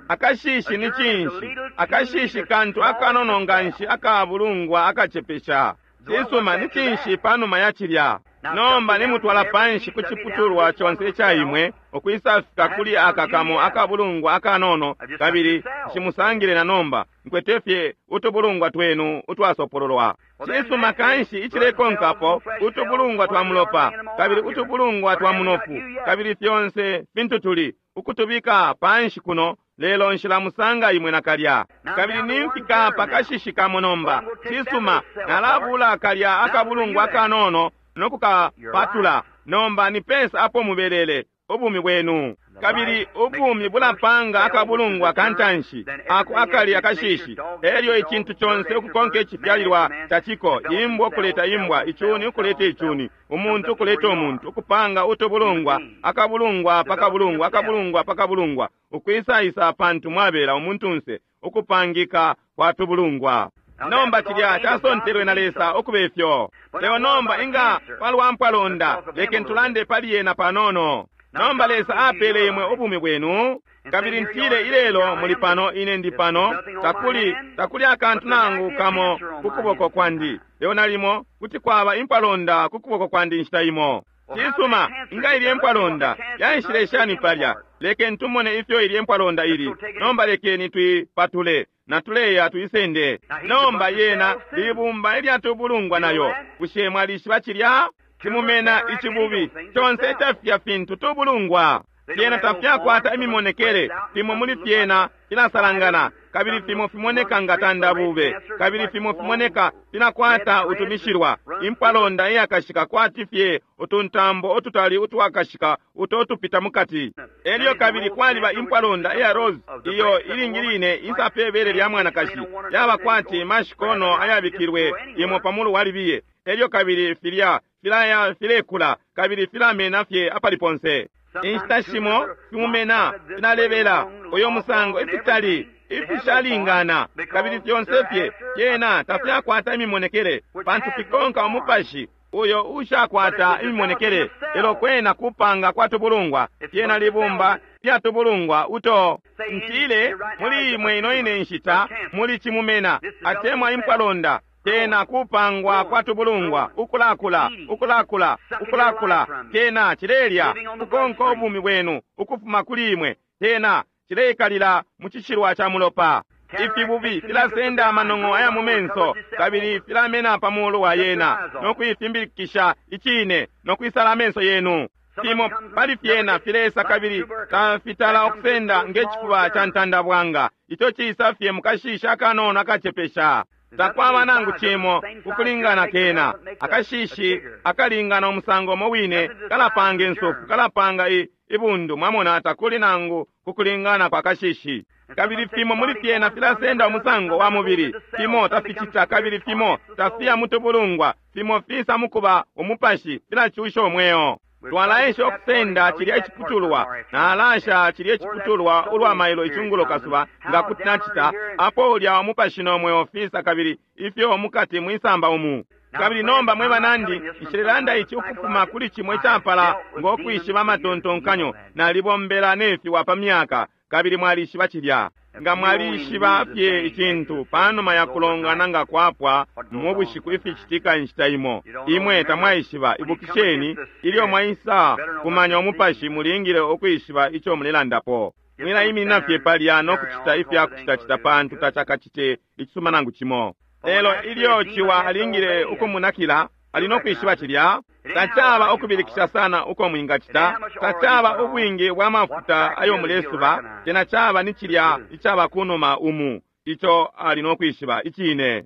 Speaker 2: Akashishi ni cinshi? Akashishi kantu akanono nganshi akabulungwa akacepesha. Cisuma, ni cinshi panuma ya cilya? Nomba nimutwala panshi ku ciputulwa conse ica imwe, ukwisafika kuli aka kamo akabulungwa akanono, kabili nshimusangile na nomba, nkwete fye utubulungwa twenu utwasopololwa. Cisuma, kanshi icilekonkapo utubulungwa twa mulopa, kabili utubulungwa twa munofu, kabili fyonse fintu tuli ukutubika panshi kuno, lelo nshilamusanga imwe nakalya. Kabili nimfika pakashishi kamo nomba. Cisuma, nalabula kalya akabulungwa akanono nokukapatula. Nomba ni pensa apo mubelele ubumi bwenu. Kabili ubumi bulapanga akabulungwa kantanshi ako akali akashishi, elyo icintu conse ukukonka icifyalilwa caciko, imbwa ukuleta imbwa, icuni ukuleta icuni, umuntu ukuleta umuntu, ukupanga utubulungwa, akabulungwa pakabulungwa, akabulungwa pakabulungwa, ukwisaisa pantu mwabela umuntunse, ukupangika kwa tubulungwa. Nomba cilya casontelwe na Lesa ukube fyo. Lelo nomba inga palwa mpwalonda, lekeni tulande pali yena panono. Nomba Lesa apele imwe ubumi bwenu, kabili ntile ilelo muli pano, ine ndi pano, takuli takuli akantu nangu kamo ku kuboko kwandi. Lelo nalimo kuti kwaba impwalonda ku kuboko kwandi inshita imo. Cisuma, inga ilye mpwalonda yaishile shani palya? Lekeni tumone ifyo ilye mpwalonda ili. Nomba lekeni tuipatule natuleya tuisende. Nomba yena libumba ilyatubulungwa nayo. Bushe mwalishiba cilya? Cimumena icibubi conse icafya fintu tubulungwa. Fyena tafyakwata imimonekele, fimo muli fyena filasalangana, kabili fimo fimoneka nga tandabube, kabili fimo fimoneka filakwata utumishilwa. Impwalonda iyakashika kwati fye utuntambo ututali utwakashika uto tupita mukati. Elyo kabili kwaliba impwalonda iya rose iyo ilingi line isa pe bele lya mwanakashi, yaba kwati mashikono ayabikilwe imo pamulu wa libiye. Elyo kabili filya filaya filekula kabili filamena fye apali ponse. Inshita shimo fimumena filalebela uyo musango ifitali ifishalingana, kabili fyonse fye fyena tafyakwata imimonekele, pantu fikonka umupashi uyo ushakwata imimonekele. Lelo kwena kupanga kwa tubulungwa, fyena libumba lya tubulungwa uto ntile muli imwe ino ine nshita muli cimumena atemwa impwalonda. Kena kupangwa kwa tubulungwa, ukulakula ukulakula ukulakula, kena cilelya kukonka ubumi bwenu ukufuma kuli imwe, kena cileikalila mu cishilwa ca mulopa. Ifibubi filasenda amanong'o aya mu menso, kabili filamena pa mulu wa yena no kuifimbilikisha icine no kwisala amenso yenu. Fimo pali fyena filesa kabili tafitala okusenda nge cifuba ca ntandabwanga, ico cisa fye mukashishi akanono akacepesha. Takwaba nangu cimo ukulingana kena. Akashishi akalingana umusango umo wine kalapanga insofu, kalapanga ibundu, mwamona, takuli nangu kukulingana kwa kashishi. Kabili fimo muli fyena filasenda umusango wa mubili, fimo taficita, kabili fimo tafiya mutubulungwa, fimo fisa mukuba umupashi, filacusha umweo. Twalaesha okusenda cilya iciputulwa, nalasha cilya iciputulwa ulwa mailo icungulo kasuba, nga kuti nacita apo ulya umupashi no mweo fisa, kabili ifyo mukati mwisamba umu. Kabili nomba mwe banandi, nshilelanda ici ukufuma kuli cimwe icapala ngo kwishiba amatontonkanyo. Nalibombela nefiwa pa myaka, kabili mwalishiba cilya. Nga mwalishiba fye icintu panuma ya kulongana nga kwapwa mu bushiku ificitika inshita imo, imwe tamwaishiba. Ibukisheni, ilyo mwaisa kumanya umupashi, mulingile ukwishiba ico mulelandapo. Mwilaiminina fye palya no kucita ifya kucitacita, pantu tacakacite icisuma nangu cimo. Lelo ilyo ciwa alingile ukumunakila, ali no kwishiba cilya. Tacaba ukubilikisha sana uko mwingacita, tacaba ubwingi bwa mafuta ayo mulesuba, cena caba ni cilya icaba kunuma umu, ico ali no kwishiba icine.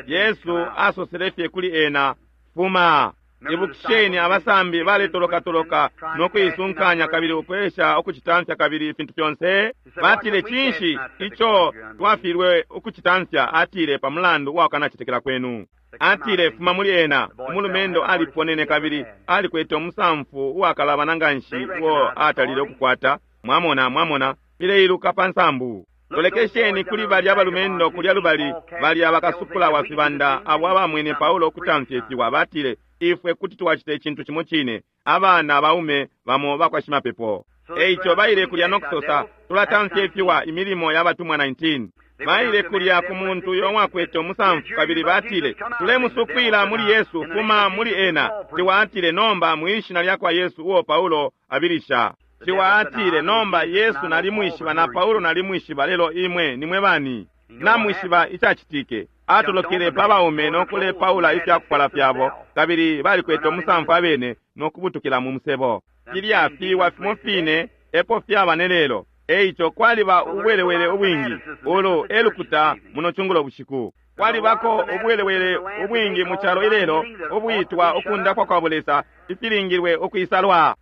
Speaker 2: Yesu asosele fye kuli ena, fuma. Ibukisheni, abasambi baletolokatoloka no kuisunkanya kabili ukwesha ukucitamfya kabili ifintu fyonse. Batile, cinshi ico twafilwe ukucitamfya? Atile, pa mulandu wa kukanacetekela kwenu. Atile, fuma muli ena. Umulumendo aliponene kabili alikwete umusamfu uwakalabana nganshi uo atalile ukukwata. Mwamona, mwamona, fileiluka pa nsambu. Lolekesheni kuli balya balumendo kulya lubali, balya bakasupula wa fibanda abo abamwene Paulo ukutamfya ifiwa, batile, ifwe kuti twacita icintu cimo cine, abana baume bamo bakwa shimapepo. Eico baile kulya no kusosa, tulatamfya ifiwa, Imilimo ya Batumwa 19. Baile kulya ku muntu uyo wakwete umusamfu kabili batile, tulemusukwila muli Yesu, fuma muli ena. Ciwa atile, nomba mwishina lya kwa Yesu uo Paulo abilisha. Ciwa atile, nomba Yesu nalimwishiba na Paulo nalimwishiba, lelo imwe nimwe bani? Namwishiba icacitike. Atolokele pa baume no kulepaula ifyakufwala fyabo, kabili balikwete umusamfu abene no kubutukila mu musebo. Filya fiwa fimo fine epo fyaba ne lelo. Eico kwaliba ubwelewele ubwingi ulu elukuta muno cungulo bushiku. Kwalibako ubwelewele ubwingi mu calo ilelo ubwitwa ukundapwa kwa bulesa ifilingilwe ukwisalwa.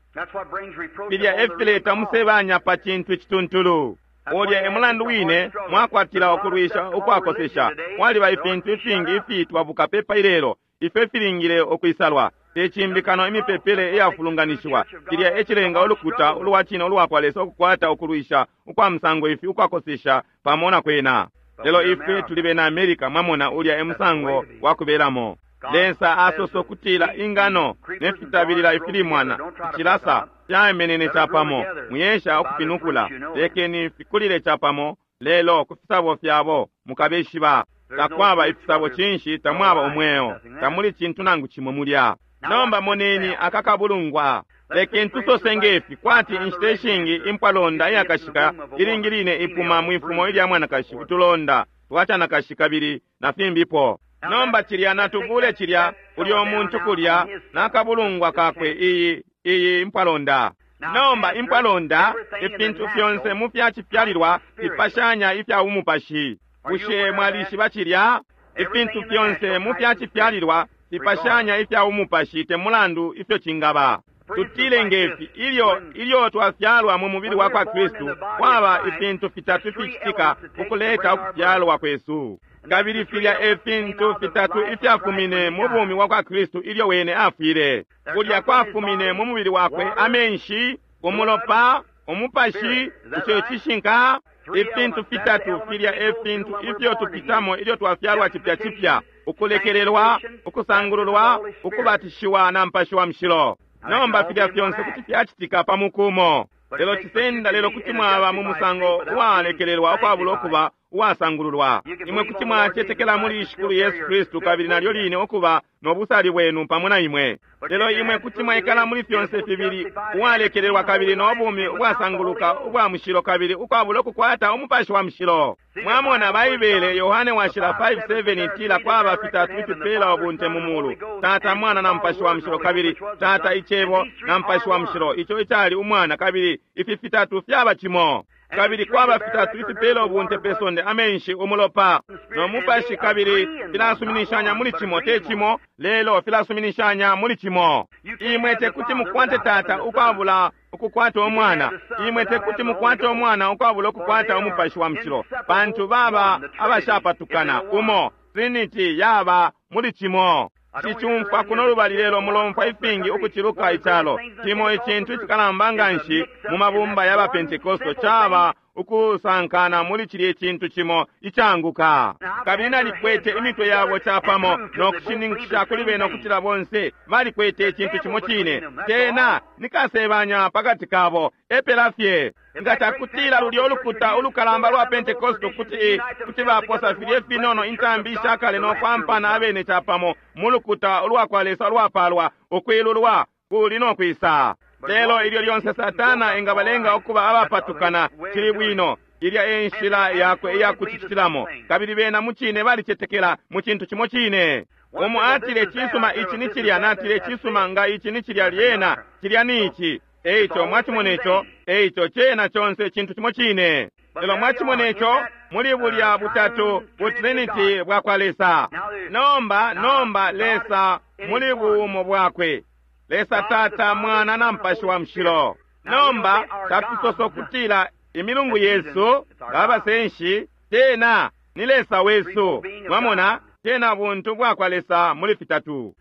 Speaker 2: Filya efileta umusebanya pa cintu icituntulu. Ulya e mulandu wine mwakwatila ukulwisha ukwakosesha. Kwaliba ifintu ifingi ifiitwa bukapepa ilelo ifyo ifilingile ukwisalwa. Tecimbikano imipepele iyafulunganishiwa. Cilya ecilenga ulukuta ulwa cine ulwa kwa Lesa ukukwata ukulwisha ukwa musango ifi ukwakosesha pamo na kwena. Lelo ifwe tuli bena America, mwamona, ulya e musango wa kubelamo. Lesa asosa ukutila ingano ne fitabilila ifilimwana icilasa fyamenene capamo, muyesha ukufinukula, lekeni fikulile capamo, lelo ku fisabo fyabo mukabeshiba. Takwaba ifisabo cinshi, tamwaba umweo, tamuli cintu nangu cimo mulya. Nomba moneni akakabulungwa. Lekeni tusose ngefi, kwati inshita ishingi impwalonda iyakashika ilingi line ipuma mwifumo ilya mwanakashi, utulonda twacanakashi kabili na fimbipo. Nomba cilya natubule cilya ulyo muntu kulya nakabulungwa kakwe, iyi iyi impwalonda. Nomba impwalonda, ifintu fyonse mu fyacifyalilwa fipashanya ifya umupashi. Bushe mwalishiba cilya? Ifintu fyonse mu fyacifyalilwa fipashanya ifya umupashi, te mulandu ifyo cingaba. Tutile ngefi, ilyo ilyo twafyalwa mu mubili wa kwa Kristu, kwaba ifintu fitatu ificitika ukuleta ukufyalwa kwesu. Kabili filya e fintu fitatu ifyafumine mu bumi wa kwa Kristu ilyo wene afwile. Kulya kwafumine mu mubili wakwe amenshi, umulopa, umupashi. Ico cishinka. Ifintu fitatu filya e fintu ifyo tupitamo ilyo twafyalwa cipya cipya: ukulekelelwa, ukusangululwa, ukubatishiwa na Mupashi wa Mushilo. Nomba filya fyonse kuti fyacitika pa mukumo, lelo cisenda, lelo kuti mwaba mu musango uwalekelelwa ukwabula ukuba uwasangululwa. Imwe kuti mwacetekela muli Shikulu Yesu Kristu kabili nalyo line ukuba no busali bwenu pamo na imwe, lelo imwe kuti mwaikala muli fyonse fibili, uwalekelelwa kabili no bumi ubwasanguluka ubwa mushilo, kabili ukwabula ukukwata Umupashi wa Mushilo. Mwamona, Baibele Yohane Washila 5:7 itila kwaba fitatu ifipela ubunte mu mulu: Tata, Mwana na Mupashi wa Mushilo, kabili Tata Icebo na Mupashi wa Mushilo, ico icali Umwana, kabili ifi fitatu fyaba cimo. Kabili kwaba fitatu ifipela ubunte pe sonde: amenshi, umulopa no mupashi, kabili filasuminishanya muli cimo, te cimo, lelo filasuminishanya muli cimo. Imwe tekuti mukwate Tata ukwabula ukukwata Umwana. Imwe tekuti mukwate Umwana ukwabula ukukwata Umupashi wa Mushilo, pantu baba abashapatukana umo. Trinity yaba muli cimo. Cicumfwa kuno lubali lelo mulomfwa ifingi ukuciluka icalo. Cimo icintu icikalamba nganshi mu mabumba ya baPentekosto caba ukusankana muli cilye cintu cimo icanguka. Kabili nalikwete imitwe yabo capamo no kushininkisha kuli bena ukutila bonse balikwete icintu cimo cine. Tena nikasebanya pakati kabo, epela fye. Nga cakutila lulyo ulukuta ulukalamba lwa Pentekosto kuti kuti baposa filye finono intambi ishakale no kwampana abene capamo mu lukuta ulwa kwa Lesa lwapalwa, ukwilulwa kuli no kwisa. Lelo ilyo lyonse Satana engabalenga ukuba abapatukana, cili bwino. Ilya e nshila yakwe iya kucitilamo, kabili bena mucine balicetekela mu cintu cimo cine. Umo atile, cisuma, ici ni cilya. Natile, cisuma, nga ici ni cilya, lyena cilya ni ici. Eico mwacimona ico. Eico cena conse cintu cimo cine. Lelo mwacimona ico muli bulya butatu, bu Trinity bwa kwa Lesa. Nomba, nomba Lesa muli buumo bwakwe, Lesa Tata, Mwana na Mupashi wa Mushilo. Nomba tatusosa ukutila imilungu yesu abasenshi, tena ni Lesa wesu. Mwamona? Cena buntu bwakwa Lesa muli fitatu.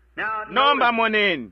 Speaker 2: Nomba moneni.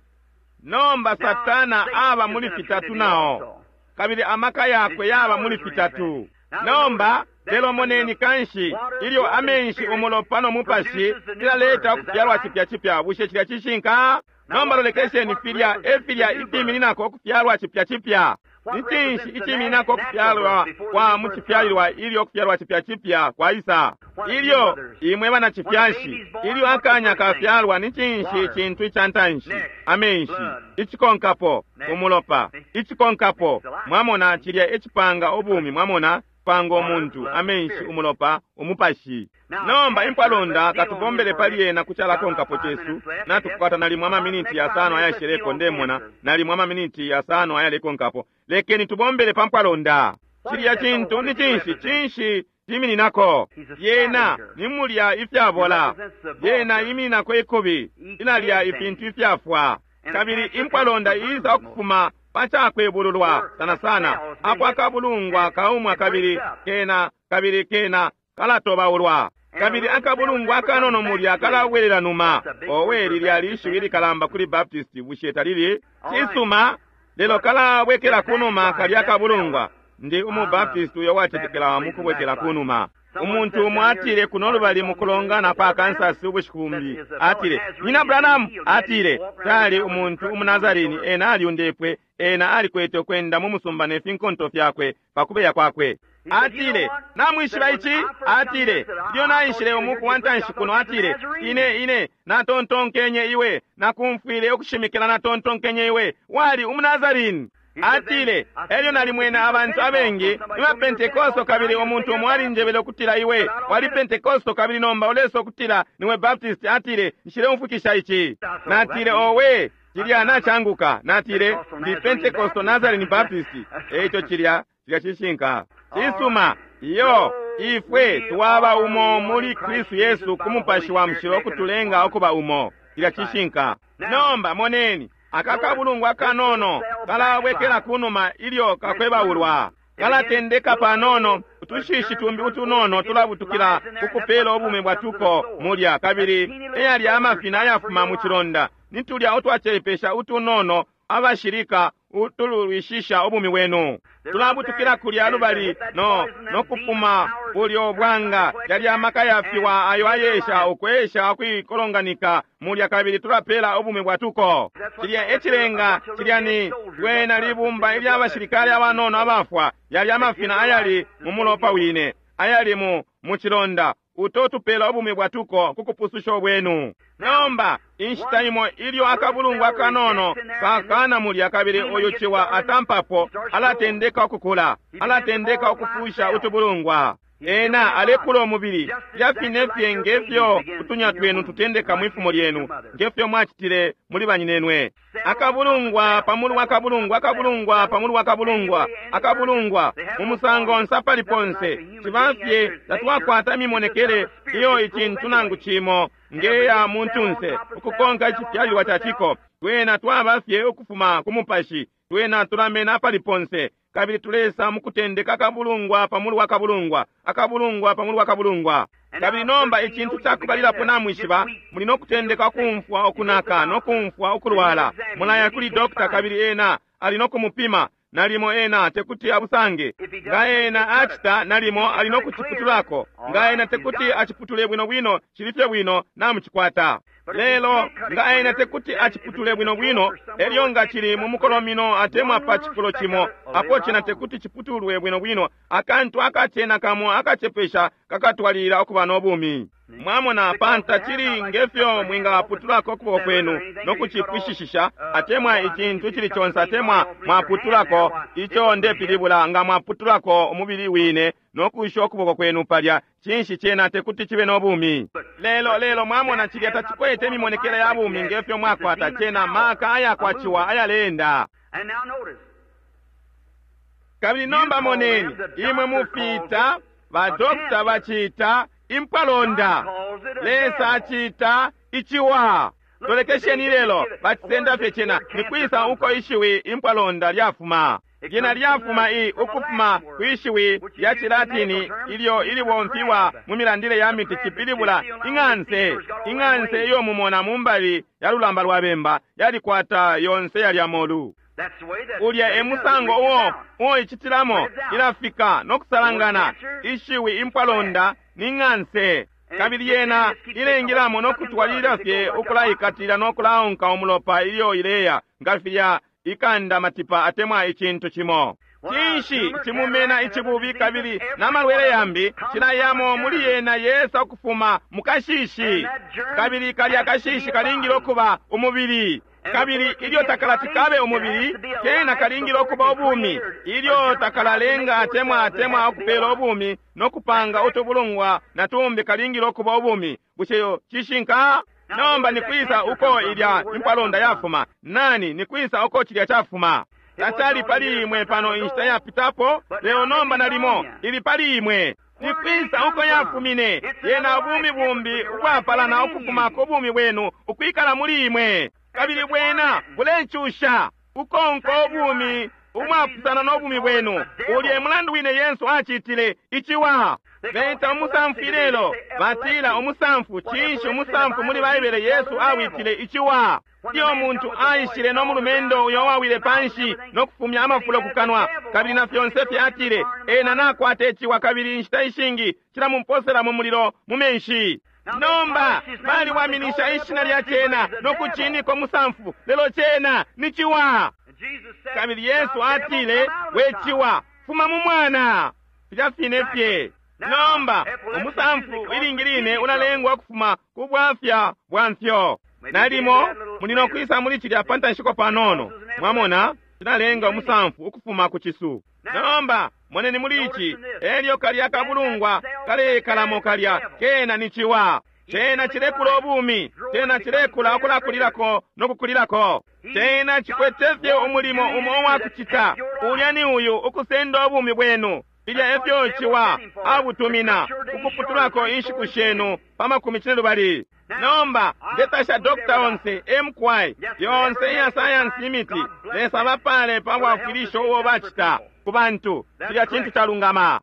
Speaker 2: Nomba Satana aba muli fitatu nao, kabili amaka yakwe yaba muli fitatu. Nomba lelo moneni kanshi ilyo amenshi, umulopa no mupashi filaleta ukufyalwa cipya cipya. Bushe cilya cishinka? Nomba lolekesheni filya e filya ifimininako ukufyalwa cipya cipya. Ni cinshi icimininako ukufyalwa kwa mu cifyalilwa ilyo ukufyalwa cipya cipya kwaisa? Ilyo imwe banacifyashi, ilyo akanya kafyalwa, ni cinshi icintu ica ntanshi? Amenshi. Icikonkapo, umulopa. Icikonkapo, mwamona, cilya ecipanga ubumi, mwamona, panga umuntu, amenshi, umulopa, umupashi. Nomba impwalonda, katubombele pali yena kucalakonkapo cesu. Natukwata nalimo amaminiti yasano ayasheleko, ndemona nalimo amaminiti yasano ayalekonkapo. Lekeni tubombele pa mpwalonda. Cilya cintu ni cinshi? Cinshi cimininako? Yena ni mulya ifyabola. Yena imininako ikubi, ilalya ifintu ifyafwa. Kabili impwalonda iisa ukufuma pacakwebululwa sana sana apo akabulungwa kaumwa, kabili kena, kabili kena kalatobaulwa, kabili akabulungwa akanono mulya kalabwelela numa. Owe, lilya lishiwi likalamba kuli Baptist, bushe talili? Cisuma, lelo kalabwekela kunuma kalya akabulungwa. Ndi umu Baptist uyo wacetekela mukubwekela kunuma. Umuntu umo atile kuno lubali mukulongana pa Kansas ubushiku bumbi, atile, Nyina Branham, atile, tali umuntu umuNazarini, ena aliundepwe, ena alikwete ukwenda mu musumba ne finkonto fyakwe pakubeya kwakwe. Atile, namwishiba ici? Atile, ilyo naishile umuku wa ntanshi kuno, atile, ine ine natontonkenye iwe, nakumfwile ukushimikila, natontonkenye iwe wali umuNazarini. Atile, elyo nalimwena abantu abengi ni Pentekosto, kabili umuntu umo alinjebele ukutila iwe wali Pentekosto, kabili nomba uleso ukutila niwe Baptist. Atile, nshileumfwikisha ici. Natile, owe, cilya nacanguka. Natile, ndi Pentekosto Nazarene Baptist. Eico cilya cilya cishinka. Cisuma, iyo ifwe twaba umo muli Kristu Yesu ku Mupashi wa Mushilo ukutulenga ukuba umo. Cilya cishinka. Nomba moneni aka kabulungwa kanono kalabwekela kunuma ilyo kakwebaulwa, kalatendeka panono, utushishi tumbi utunono tulabutukila kukupela ubumi bwatuko mulya, kabili eyalya amafina ayafuma mu cilonda nitulya utwacepesha utunono abashilika utulwishisha ubumi bwenu tulabutukila kulya lubali no nokupuma bulyo bwanga. Yalya amaka yafiwa ayo ayesha ukwesha ukwikolonganika mulya, kabili tulapela ubumi bwatuko. Cilya ecilenga cilya ni lwena libumba ilya bashilikali abanono abafwa, yalya amafina ayali mu mulopa wine ayali mu cilonda uto tupela ubumi bwatuko kukupususha bwenu. Nomba inshita imo ilyo akabulungwa akanono kakana mulya, kabili uyu ciwa atampapo, alatendeka ukukula, alatendeka ukufusha utubulungwa. Ena alekula umubili fyafine fye ngefyo utunya twenu tutendeka mwifumo lyenu, ngefyo mwacitile muli banyinenwe. Akabulungwa pamulu wa kabulungwa, akabulungwa pamulu wa kabulungwa, akabulungwa mu musango nsapali ponse. Cibafye tatwakwata imimonekele iyo icintu nangu cimo ngeya muntunse ukukonka icifyalilwa ca ciko. Twena twaba fye ukufuma ku mupashi, twena tulamena apali ponse, kabili tulesa mukutendeka akabulungwa pamulu wa kabulungwa, akabulungwa pamulu wa kabulungwa. Kabili nomba icintu cakubalilapo namwishiba, muli nokutendeka ukumfwa ukunaka nokumfwa ukulwala. Mulaya kuli dokta, kabili ena ali nokumupima, nalimo ena tekuti abusange. Nga ena acita, nalimo ali nokuciputulako. Nga ena tekuti aciputule bwino bwino, cili fye bwino, namucikwata. Lelo nga ena tekuti aciputule bwino bwino, elyo nga cili mu mukolomino atemwa pa cifulo cimo apo cena tekuti ciputulwe bwino bwino, akantu akacena kamo akacepesha kakatwalilila ukuba no bumi. Mwamona, panta cili ngefyo mwingaputulako ukuboko kwenu nokucipwishishisha, atemwa icintu cili conse, atemwa mwaputulako ico ndepilibula, nga mwaputulako umubili wine nokusha ukuboko kwenu palya, cinshi cena tekuti cibe no bumi. Lelo lelo mwamona, cilya tacikwete imimonekele ya bumi ngefyo mwakwata cena maka ayakwaciwa ayaleenda. Kabili nomba moneni, imwe mufita badokta bacita impwalonda, Lesa acita iciwa. Lolekesheni ilelo, bacisenda fye cena. Nikwisa uko ishiwi impwalonda lyafuma? Lyena lyafuma i ukufuma kwishiwi lya Cilatini ilyo ilibomfiwa mu milandile ya miti, cipilibula ing'anse. Ing'anse iyo mumona mu mbali ya lulamba lwa bemba yalikwata yonse yalya molu. Ulya e musango uo uo icitilamo, ilafika no kusalangana. Ishiwi impwalonda ni ng'anse, kabili yena ilengilamo no kutwalilila fye ukulaikatilila no kulaonka umulopa ilyo ileya, nga filya ikanda matipa atemwa icintu cimo. Cinshi cimumena icibubi kabili n'amalwele yambi cilayamo muli yena yesa ukufuma mu kashishi, kabili kalya kashishi kalingile ukuba umubili. Kabili ilyo takalati kabe umubili, kena kalingile ukuba ubumi. Ilyo takalalenga atemwa atemwa ukupela ubumi no kupanga utubulungwa na tumbi, kalingile ukuba ubumi. Bushe cishinka? Nomba nikwisa uko ilya impwalonda yafuma? Nani nikwisa uko cilya cafuma? Tacali pali imwe pano inshita yapitapo, lelo nomba nalimo ili pali imwe. Nikwisa uko yafumine? Yena ubumi bumbi ubwapalana ukufuma ku bumi bwenu ukwikala muli imwe, kabili bwena bulecusha ukonka ubumi umwapusana no bumi bwenu. Ulya mulandu wine Yesu acitile iciwa. Beta umusamfu ilelo, batila umusamfu. Cinshi umusamfu muli Baibele Yesu awitile iciwa? Iyo muntu aishile no mulumendo uyo wawile panshi no kufumya amafulo kukanwa, kabili na fyonse fye, atile ena nakwata iciwa, kabili inshita ishingi cilamumposela mu mulilo mu menshi. Nomba baliwaminisha ishina lya cena no kucinika umusamfu, lelo cena ni ciwa. Kabili Yesu atile, we ciwa, fuma mu mwana. Filya fine fye. Nomba umusamfu ilingi line ulalengwa kufuma ku bwafya bwa mfyo. Nalimo muli no kwisa muli cilya pa ntanshiko panono. Mwamona, cilalenga umusamfu ukufuma ku cisu. Nomba moneni muli ici, elyo kalya kabulungwa kalekalamo kalya kena ni ciwa. Cena cilekula ubumi, cena cilekula ukulakulilako no kukulilako. Cena cikwete fye umulimo umo uwakucita, ulya ni uyu ukusenda ubumi bwenu. Filya efyo ciwa abutumina ukuputulako inshiku shenu pa 12. Nomba ndetasha Dr. onse MQI yonse iya sayansi imiti, Lesa bapale pa bwafwilisho ubo bacita ku bantu. Cilya cintu calungama.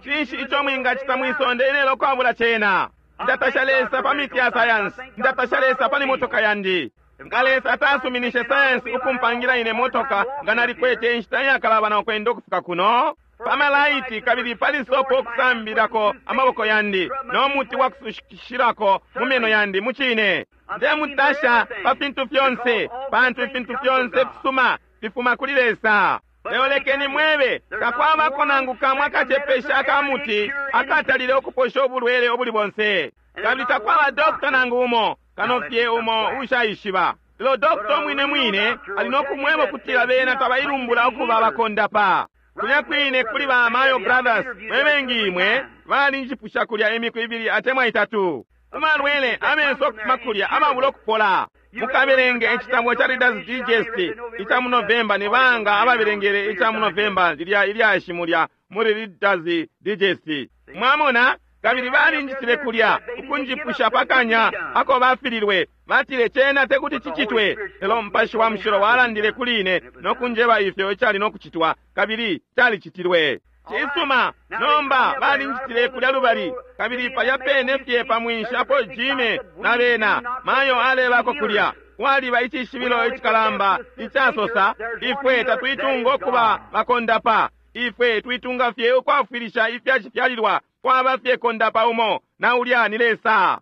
Speaker 2: Cinshi ico mwingacita mwisonde ilelo kwabula cena? Ndatasha Lesa pa miti ya sayansi, ndatasha Lesa pa motoka yandi. Nga Lesa atasuminishe sayansi ukumpangila ine motoka, nga nalikwete inshita iyakalabana ukwenda ukufika kuno pamalaiti, kabili pali sopo okusambilako amaboko yandi no muti wa kusushilako mu meno yandi. Mucine ndemutasha pa fintu fyonse, pantu ifintu fyonse fisuma fifuma kuli Lesa. Lelo lekeni mwebe, takwabako nangu kamwe akacepesha akamuti akatalile ukuposha ubulwele ubuli bonse, kabili takwaba dokta nangu umo kano fye umo ushaishiba. Lelo dokta mwine mwine ali no kumweba ukutila bena tabailumbula ukuba bakondapa. Kulya kwine kuli ba Mayo Brothers, mwebengi imwe balinjipusha kulya imiku ibili atemwa itatu umalwele amenso okufuma kulya ababula okupola. Mukabelenge icitabo ca Reader's Digest ica mu November. Ni banga ababelengele ica mu November lilya ilyashi mulya muli Reader's Digest? Mwamona? Kabili balinjitile kulya ukunjipusha pakanya ako bafililwe, batile cena tekuti cicitwe, lelo Mupashi wa Mushilo walandile kuli ine no kunjeba ifyo icali no kucitwa, kabili calicitilwe. Cisuma. Nomba balinjitile kulya lubali, kabili palya pene fye pa mwinshi apo Jime na bena Mayo alebako kulya kwaliba icishibilo icikalamba icasosa, ifwe tatwitunga ukuba bakondapa, ifwe twitunga fye ukwafwilisha ifyacifyalilwa, kwaba fye kondapa umo, na ulya ni Lesa.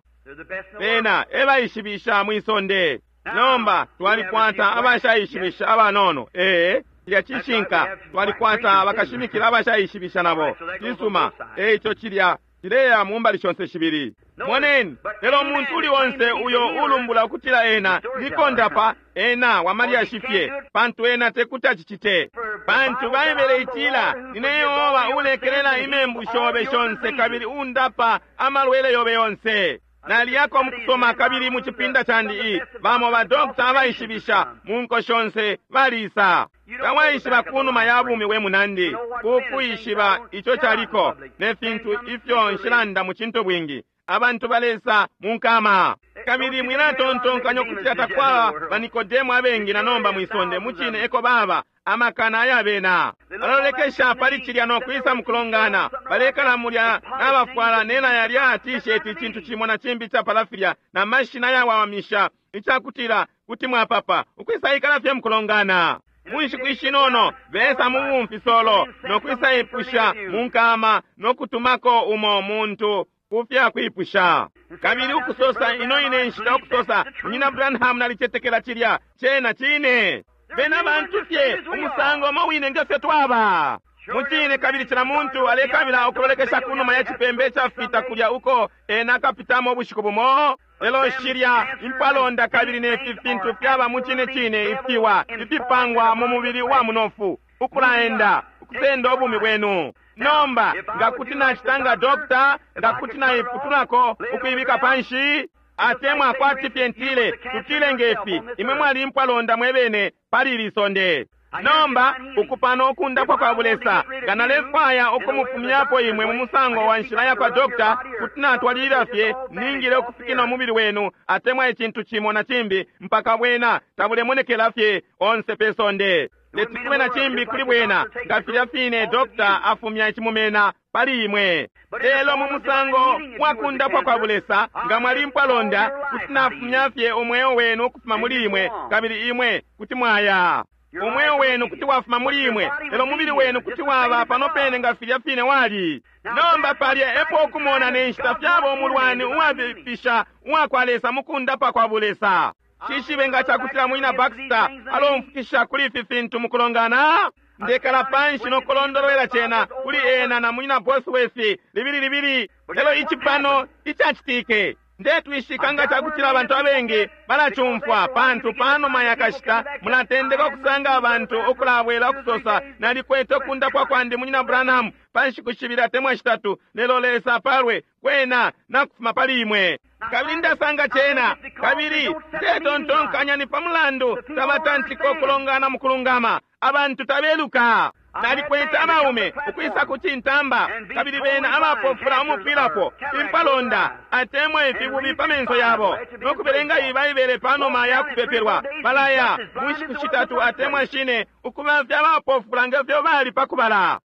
Speaker 2: Bena ebaishibisha mwisonde. Nomba twalikwata abashaishibisha abanono. Ee, cilya cishinka. Twalikwata bakashimikila abashaishibisha nabo. Cisuma. Eico cilya cileya mu mbali shonse shibili. Moneni, lelo umuntu uli onse uyo ulumbula ukutila ena ni kondapa, ena wamalyashi fye, pantu ena tekuti acicite. Pantu Baibele itila, nine Yehova ulekelela imembu shobe shonse kabili undapa amalwele yobe yonse. Naliyako mukusoma kabili mu cipinda candi bamo ba dokta abaishibisha mu nko shonse balisa. Tawaishiba kunuma ya bumi we munandi, kukwishiba ico caliko ne fintu ifyo nshilanda mu cintu bwingi. Abantu balesa mu nkama. Kabili mwilatontonkanya ukutila takwaba ba Nikodemo abengi na nomba mwisonde, mucine eko baba amakana ayabena. Balolekesha pali cilya no kwisa mukulongana, balekala mulya nabafwala nena yalya t-shirt, icintu cimo na cimbi capala filya, na mashina yawamisha, icakutila kuti mwapapa ukwisa ikala fye mukulongana. Munshiku ishinono besa mu bumfisolo no kwisa ipusha mu nkama no kutumako umo muntu kufya kwipusha. Kabili ukusosa ino ine nshita ukusosa, Munyina Branham, nalicetekela cilya cena cine. Bena bantu fye umusango umo wine nge fyo twaba mucine. Kabili cila muntu alekabila ukulolekesha kunuma ya cipembe cafita kulya uko ena akapitamo ubushiku bumo. Lelo shilya impalonda kabili nefi fintu fyaba mucine cine ifiwa ifipangwa mu mubili wa munofu ukulaenda ukusenda ubumi bwenu. Nomba nga kuti nacita nga dokta, nga kuti naiputulako ukuibika panshi, atemwa kwati fye ntile, tutile ngefi, imwe mwali impalonda mwebene pali ili sonde. Nomba ukupano ukundapwa kwa bulesa, nga nalefwaya ukumufumyapo imwe mu musango wa nshila ya kwa dokta, kuti natwalilila fye ningile ukufikina umubili wenu atemwa icintu cimo na cimbi mpaka bwena tabulemonekela fye onse pe sonde. Leti kube na cimbi kuli bwena, nga filya fine dokta afumya icimumena pali imwe. Lelo mu musango wa kundapwa kwa bulesa, nga mwali mpwalonda, kuti nafumya fye umweo wenu ukufuma muli imwe, kabili imwe kuti mwaya. Umweo wenu kuti wafuma muli imwe, lelo mubili wenu kuti waba pano pene nga filya fine wali. Nomba palya epo ukumona ne nshita fyaba umulwani uwabipisha uwakwa Lesa mukundapa kwa bulesa. Shishibe nga cakutila Munyina Baxter alomfukisha kuli ifi fintu mukulongana. Ndekala panshi no kulondolwela cena kuli ena na Munyina Bosworth libili libili. Lelo ici pano icacitike, ndetwishika nga cakutila abantu abengi balacumfwa, pantu panuma yakashita mulatendeka ukusanga abantu ukulabwela ukusosa, nalikwete ukundapwa kwandi Munyina Branham pa nshiku shibili atemwa shitatu, lelo Lesa apalwe kwena nakufuma pali imwe. Kabili ndasanga cena, kabili ndetontonkanya ni pa mulandu tabatantika ukulongana mukulungama, abantu tabeluka. Nalikwete abaume ukwisa ku cintamba, kabili bena abapofula umupwilapo impalonda atemwa ifibubi pa menso yabo, no kubelenga Ibaibele panuma ya kupepelwa. Balaya mu nshiku shitatu atemwa shine ukubafya abapofula nge fyo bali pa kubala.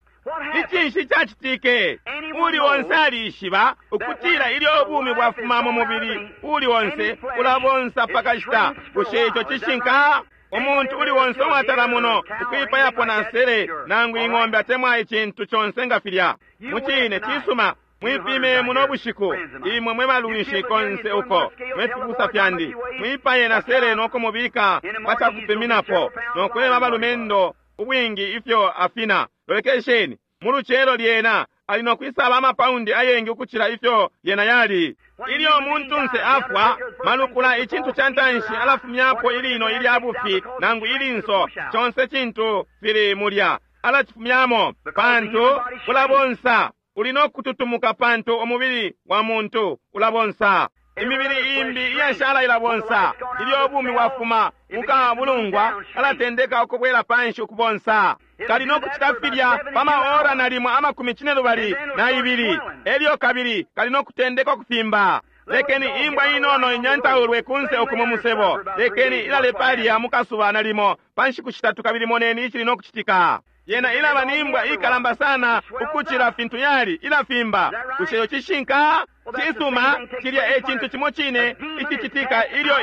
Speaker 2: Icinshi cacitike? Uli onse alishiba ukutila ilyo ubumi bwafuma mu mubili uli onse ulabonsa pakashita. Bushe ico cishinka? Umuntu uli onse uwatala muno ukwipayapo na nsele nangu ing'ombe atemwa icintu conse nga filya. Mucine cisuma, mwipime muno bushiku, imwe mwe balunshi konse uko mwe fibusa fyandi, mwipaye na sele no kumubika pa cakupiminapo no kweba balumendo ubwingi ifyo afina. Lolekesheni mu lucelo lyena ali no kwisaba amapaundi ayengi ukucila ifyo yena yali. Ilyo umuntunse afwa, malukula icintu ca ntanshi alafumyapo ilino ilya bufi nangu ilinso, conse cintu fili mulya alacifumyamo, pantu ulabonsa. Uli no kututumuka pantu umubili wa muntu ulabonsa. Imibili imbi iyashala ilabonsa. Ilyo ubumi bwafuma mukabulungwa, alatendeka ukubwela panshi ukubonsa. Kali no kucita filya pa maora nalimo amakumi cine lubali na ibili, elyo kabili kali no kutendeka ukufimba. Lekeni imbwa inono inyantaulwe kunse uku mu musebo, lekeni ilale palya mukasuba nalimo pa nshiku shitatu, kabili moneni icili no kucitika. Yena ilaba ni imbwa ikalamba sana ukucila fintu yali, ilafimba. Bushe ico cishinka? Cisuma, cilya e cintu cimo cine icicitika ilyo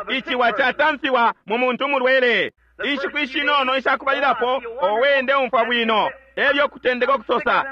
Speaker 2: iciwa catamfiwa mu muntu umulwele. Inshiku ishinono ishakubalilapo, owe ndeumfwa bwino, elyo kutendeka ukusosa,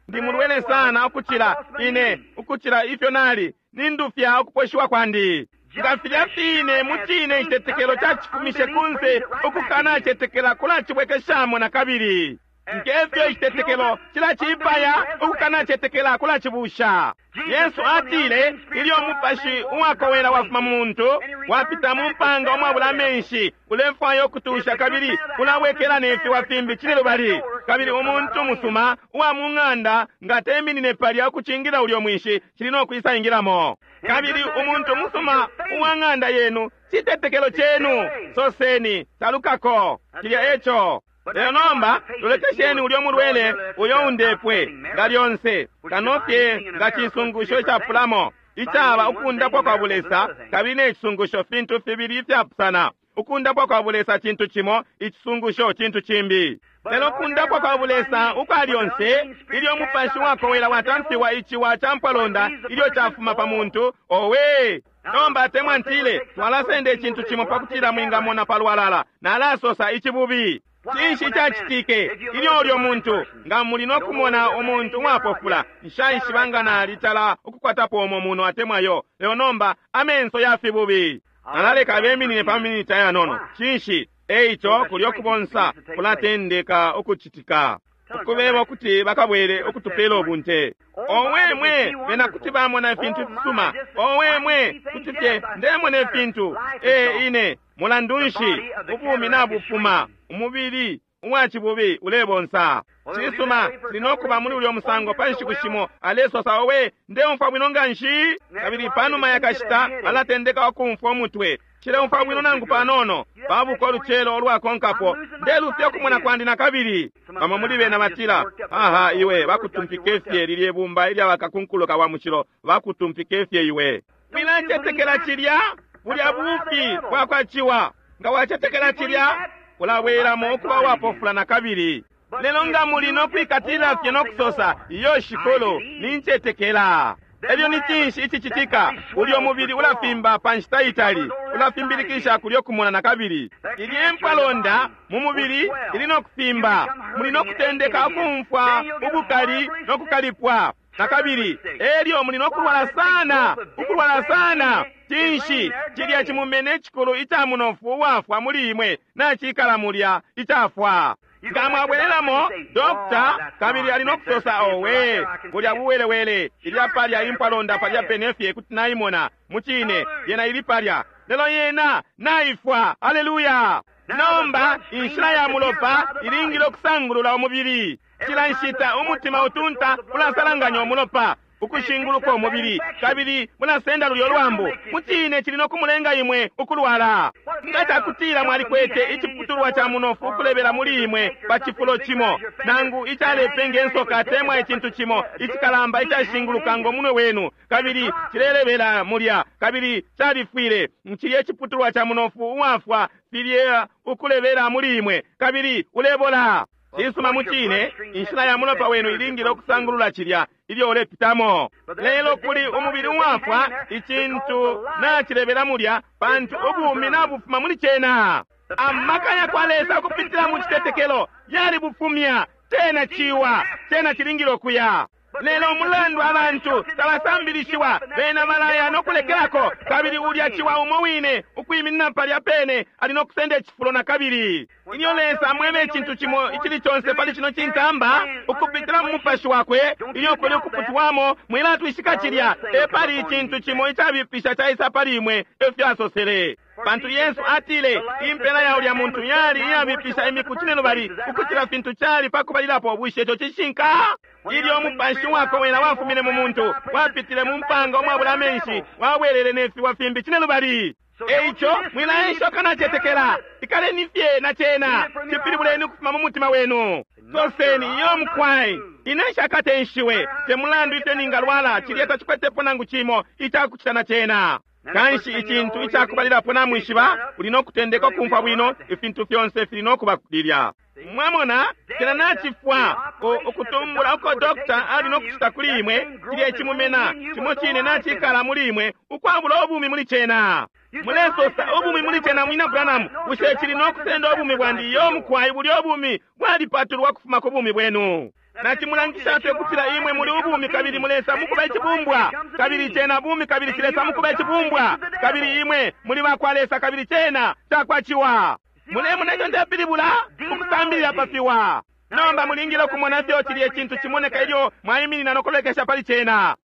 Speaker 2: ndi mulwele sana ukucila ine, ukucila ifyo nali, nindufya ukuposhiwa kwandi. Nga filya fine mucine icitetekelo cacifumishe kunse, ukukanacetekela kulacibwekeshamo na kabili. Ngefyo icitetekelo cilacipaya, ukukanacetekela kulacibusha. Yesu atile, ilyo umupashi uwakowela wafuma mu muntu, wapita mu mpanga umwabula amenshi, ulefwaya ukutusha kabili ulabwekela ne fiwa fimbi cine lubali. Kabili umuntu musuma uwa mu ng'anda nga teminine palya ukucingila ulyo mwinshi, cili no kwisa ingilamo. Kabili umuntu musuma uwa ng'anda yenu, citetekelo cenu, soseni, talukako, cilya eco. Lelo nomba lolekesheni ulyo mulwele uyo undepwe nga lyonse, kano fye nga cisungusho icapulamo. Icaba ukundapwa kwa bulesa kabili ne cisungusho fintu fibili ifyapusana. Ukundapwa kwa bulesa cintu cimo, icisungusho cintu cimbi. Lelo kundapwa kwa bulesa ukwa lyonse, ilyo umupashi wakowela watamfiwa iciwa ca mpwalonda ilyo cafuma pa muntu, owe! Nomba atemwa ntile, twalasenda icintu cimo pakutila mwingamona palwalala, nalasosa icibubi. Cinshi icacitike ilyo ulyo muntu, nga muli no kumona umuntu uwapofula, nshaishiba nga nalitala ukukwatapo umo muno atemwa yo, lelo nomba amenso ya fibubi. Nalaleka abeminine pa miniti ayanono. Cinshi? Eico kulyo kubonsa kulatendeka ukucitika. Ukubeba ukuti bakabwele ukutupela ubunte. Owe mwe, bena kuti bamona ifintu fisuma. Owe mwe, kuti fye ndemona ifintu. E ine, mulandu nshi, ubumi nabufuma, umubili uwacibubi ulebonsa. Cisuma, tuli nokuba muli ulyo musango pa nshiku shimo, alesosa owe, ndeumfwa bwino nganshi. Kabili panuma yakashita, alatendeka ukumfwa umutwe. Nshileumfwa bwino nangu panono. Babuka ulucelo ulwakonkapo, ndelufya ukumona kwandi nakabili. Bamo muli bena batila, aha iwe, bakutumpike fye lilye bumba ilya bakakunkuluka wa mushilo, bakutumpike fye iwe. Mwilacetekela cilya, bulya bufi bwakwa ciwa. Nga wacetekela cilya, ulabwelamo ukuba uwapofula nakabili. Lelo nga muli no kwikatilila fye no kusosa, iyo shikulu, nincetekela. Elyo ni cinshi icicitika? Ulyo mubili ulafimba pa nshita itali, ulafimbilikisha kulyo kumona nakabili. Ilye mpwalonda mu mubili ili no kufimba, muli no kutendeka ukumfwa ubukali no kukalipwa nakabili. Elyo muli no kulwala sana, ukulwala sana. Cinshi? Cilya cimumene icikulu ica munofu uwafwa muli imwe nacikala mulya icafwa. Nga mwabwelelamo dokta kabili ali no kusosa, owe, bulya buwelewele, ilya palya impwalonda palya pene fye kuti naimona. Mucine, yena ili palya, lelo yena naifwa. Aleluya! Nomba inshila ya mulopa ilingile ukusangulula umubili. Cila nshita umutima utunta ulasalanganya umulopa ukushinguluka umubili, kabili mulasenda lulyo lwambu. Mucine cili no kumulenga imwe ukulwala. Nga cakutila mwalikwete iciputulwa ca munofu ukulebela muli imwe pa cifulo cimo, nangu icalepenga insoka atemwa icintu cimo icikalamba icashinguluka ngo munwe wenu, kabili cilelebela mulya, kabili califwile, cilye iciputulwa ca munofu uwafwa filye ukulebela muli imwe, kabili ulebola. Cisuma, mucine, inshila ya mulopa wenu ilingile ukusangulula cilya ilyo ulepitamo. Lelo kuli umubili uwafwa, icintu nacilebela mulya, pantu ubumi nabufuma muli cena. Amaka ya kwa Lesa ukupitila mu citetekelo yalibufumya. Cena ciwa, cena cilingile ukuya. Lelo umulandu abantu tabasambilishiwa, bena balaya no kulekelako, kabili ulya ciwa umo wine ukwiminina palya pene ali no kusenda icifulo nakabili. Ilyo Lesa amwebe icintu cimo icili conse pali cino cintamba ukupitila mu mupashi wakwe, ilyo kuli ukuputwamo, mwilatwishika cilya, epali icintu cimo icabipisha caisa pali imwe, efyo asosele. Pantu Yesu atile impela ya ulya muntu yali iyabipisha imiku cinelubali ukucila fintu cali pakubalilapo. Bushe ico cishinka? Ilyo umupashi wakowela wafumine mu muntu, wapitile mu mpanga umwabula amenshi, wabwelele ne fiwa fimbi cinelubali. Eico mwilaesha nacetekela, ikaleni fye na cena, cipilibuleni ukufuma mu mutima wenu. Soseni, iyo mukwai, ine nshakatenshiwe, te mulandu ifyo ningalwala, cilya tacikwetepo nangu cimo icakucita na cena. Kanshi icintu icakubalilapo namwishiba, uli no kutendeka ukumfwa bwino, ifintu fyonse fili no kuba lilya. Mwamona, cena nacifwa, ukutumbula uko dokta ali no kucita kuli imwe, cilya icimumena cimo cine nacikala muli imwe, ukwabula ubumi muli cena. Mulesosa ubumi muli cena, mwina Branham, bushe cili no kusenda ubumi bwandi? Iyo mukwai, bulya ubumi bwalipatulwa kufuma ku bumi bwenu. Nacimulangisha fye ukutila imwe muli ubumi kabili mulesa mukuba icibumbwa, kabili cena bumi kabili cilesa mukuba icibumbwa, kabili imwe muli bakwa Lesa kabili cena cakwa ciwa. Mulemona ico ndepilibula? Ukusambilila pa fiwa. Nomba mulingile ukumona fyo cilya icintu cimoneka ilyo mwaiminina no kulolekesha pali cena.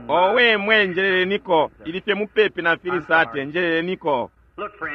Speaker 2: Owe mwe, njeleleniko, ili fye mupepi na filisate, njeleleniko.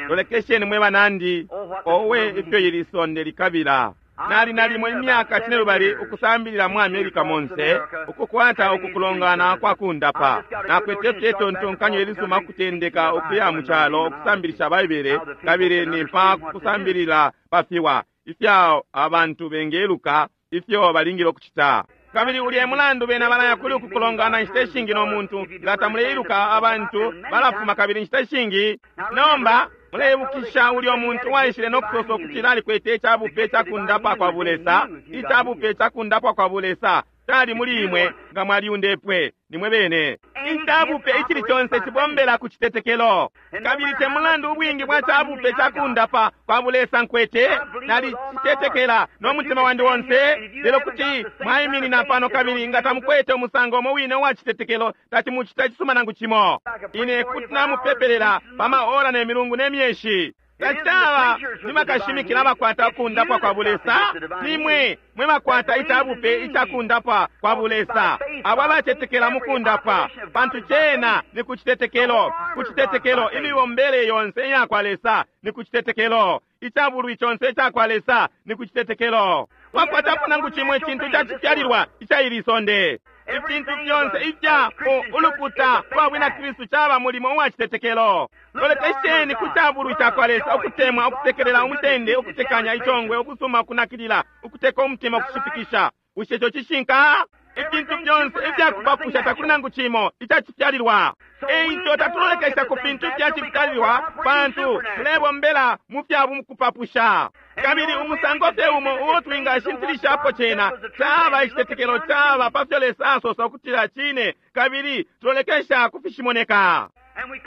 Speaker 2: Lolekesheni mwe banandi, owe ifyo ili sonde likabila. Nali nalimo imyaka cinelubali ukusambilila mu America monse, ukukwata ukukulongana kwa kundapa. Nakwete fye itontonkanyo ilisuma ukutendeka ukuya mu calo ukusambilisha Baibele, kabili ni pa kusambilila pa fiwa ifya abantu bengeluka ifyo balingile ukucita. Kabili ulya mulandu bena balaya kuli uku kulongana inshita ishingi no muntu nga tamuleiluka, abantu balafuma kabili inshita ishingi. Nomba muleibukisha ulya muntu waishile no kusosa ukutila alikwete icabupe cakundapa kwa bulesa. Icabupe cakundapwa kwa bulesa cali muli imwe nga mwaliundepwe nimwe bene. Icabupe icili conse cibombela ku citetekelo. Kabili te mulandu ubwingi bwa cabupe cakundapa kwa bulesa nkwete, nalicitetekela no mutima wandi onse, lelo kuti mwaiminina pano kabili nga tamukwete umusango umo wine uwa citetekelo, tatimucita cisuma nangu cimo. Ine kuti namupepelela pa maora ne milungu ne myeshi. Tacaba ni bakashimikila bakwata ukundapwa kwa bulesa, nimwe mwe bakwata icabupe icakundapwa kwa bulesa, abo abacetekela mukundapwa, pantu cena ni ku citetekelo. Ku citetekelo imibombele yonse iya kwa Lesa ni ku citetekelo. Icabulwi conse ica kwa Lesa ni ku citetekelo. Wakwatapo nangu cimo icintu icacifyalilwa ica ili sonde. Ifintu fyonse ifya ulukuta lwa bwina Kristu caba mulimo uwa citetekelo. Lolekesheni ku cabulwi ca kwa Lesa, ukutemwa, ukusekelela, umutende, ukutekanya, icongwe, ukusuma, ukunakilila, ukuteka umutima, ukushipikisha. Bushe ico cishinka? Ifintu fyonse ifyakupapusha, takuli nangu cimo icacifyalilwa. Eico tatulolekesha ku fintu ifyacifyalilwa, pantu tulebombela mu fya kupapusha. Kabili umusango fye umo uo twingashintilishapo cena caba icitetekelo, caba pa fyo Lesa asosa ukutila cine, kabili tulolekesha ku fishimoneka.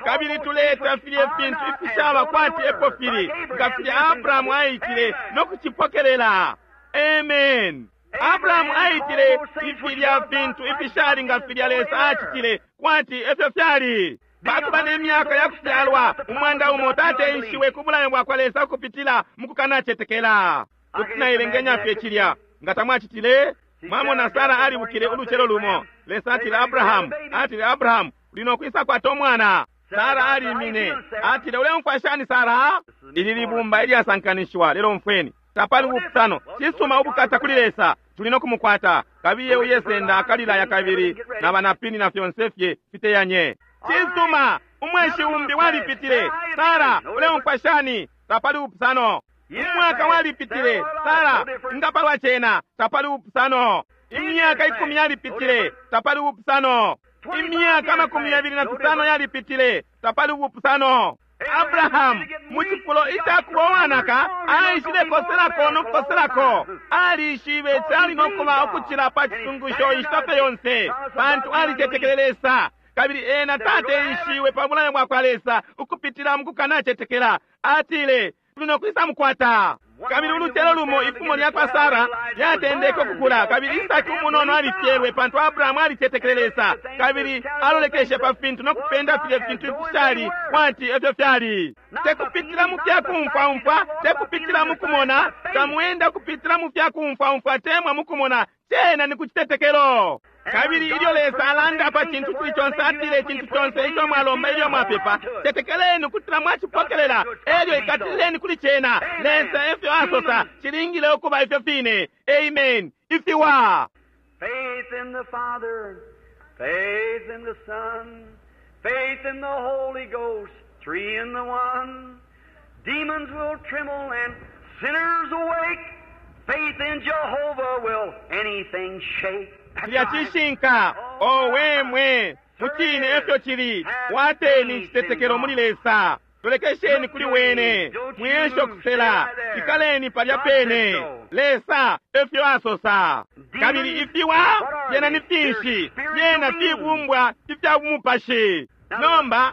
Speaker 2: Kabili tuleta filye fintu ifishaba kwati epo fili, nga filya Abrahamu aitile no kucipokelela. Amen. Abrahamu aitile ifilya fintu ifishali nga filya Lesa acitile kwati efyo fyali. Pakuba ne myaka ya kufyalwa 100 tateenshiwe ku bulayo bwa kwa Lesa ukupitila mu kukanacetekela. Kuti nailengenya fye cilya nga tamwacitile. Mwamona, Sara alibukile ulucelo lumo. Lesa atile Abrahamu, atile Abrahamu, uli no kwisa kwata umwana. Sara alimine, atile, uleumfwa shani Sara? Ili libumba ilyasankanishiwa, lelo umfweni. Tapali ubupusano. Cisuma, ubukata kuli Lesa, tuli no kumukwata. Kabiye uyesenda akalilaya kabili na banapini na fyonse fye fiteyanye. Cisuma, umweshi umbi walipitile. Sara, uleumfwa shani? Tapali ubupusano. Umwaka walipitile. Sara, ngapalwa cena? Tapali ubupusano. Imyaka 10 yalipitile. Tapali ubupusano. Imyaka 25 yalipitile. Tapali ubupusano. Abrahamu mu cifulo icakuba uwanaka aishile koselako no kukoselako. Alishibe cali no kuba ukucila pa cisungusho inshita fye yonse, pantu alicetekele Lesa. Kabili ena tateenshiwe pa bulayo bwa kwa Lesa ukupitila mu kukanacetekela. Atile, tuli no kwisa mukwata. Kabili ulucelo lumo ifumo lya kwa Sara lyatendeke ukukula, kabili Isaki umunono alifyelwe, pantu Abrahamu alicetekele Lesa kabili alolekeshe pa fintu no kupenda filye fintu ifishali kwati efyo fyali. Tekupitila mu fyakumfwaumfwa, tekupitila mu kumona, tamwenda kupitila mu fyakumfwaumfwa temwa mu kumona, cena ni ku citetekelo. Kabili ilyo Lesa alanda pa cintu cili conse, atile icintu conse ico mwalomba ilyo mwapepa, tetekeleni ukutila mwacipokelela, elyo ikatilileni kuli cena. Lesa efyo asosa, cilingile ukuba ifyo fine. Amen. Ifiwa.
Speaker 1: Faith in the Father, faith in the Son, faith in the Holy Ghost, 3 in the 1. Demons will tremble and sinners awake. Faith in Jehovah will anything shake.
Speaker 2: Cilya cishinka. Owe mwe, mucine efyo cili. Kwateni icitetekelo muli Lesa. Tolekesheni kuli wene. Mwiyesho kusela. Ikaleni palya pene. Lesa efyo asosa. Kabili ifiwa fyena ni finshi? Fyena fibumbwa ifya bumupashi. Nomba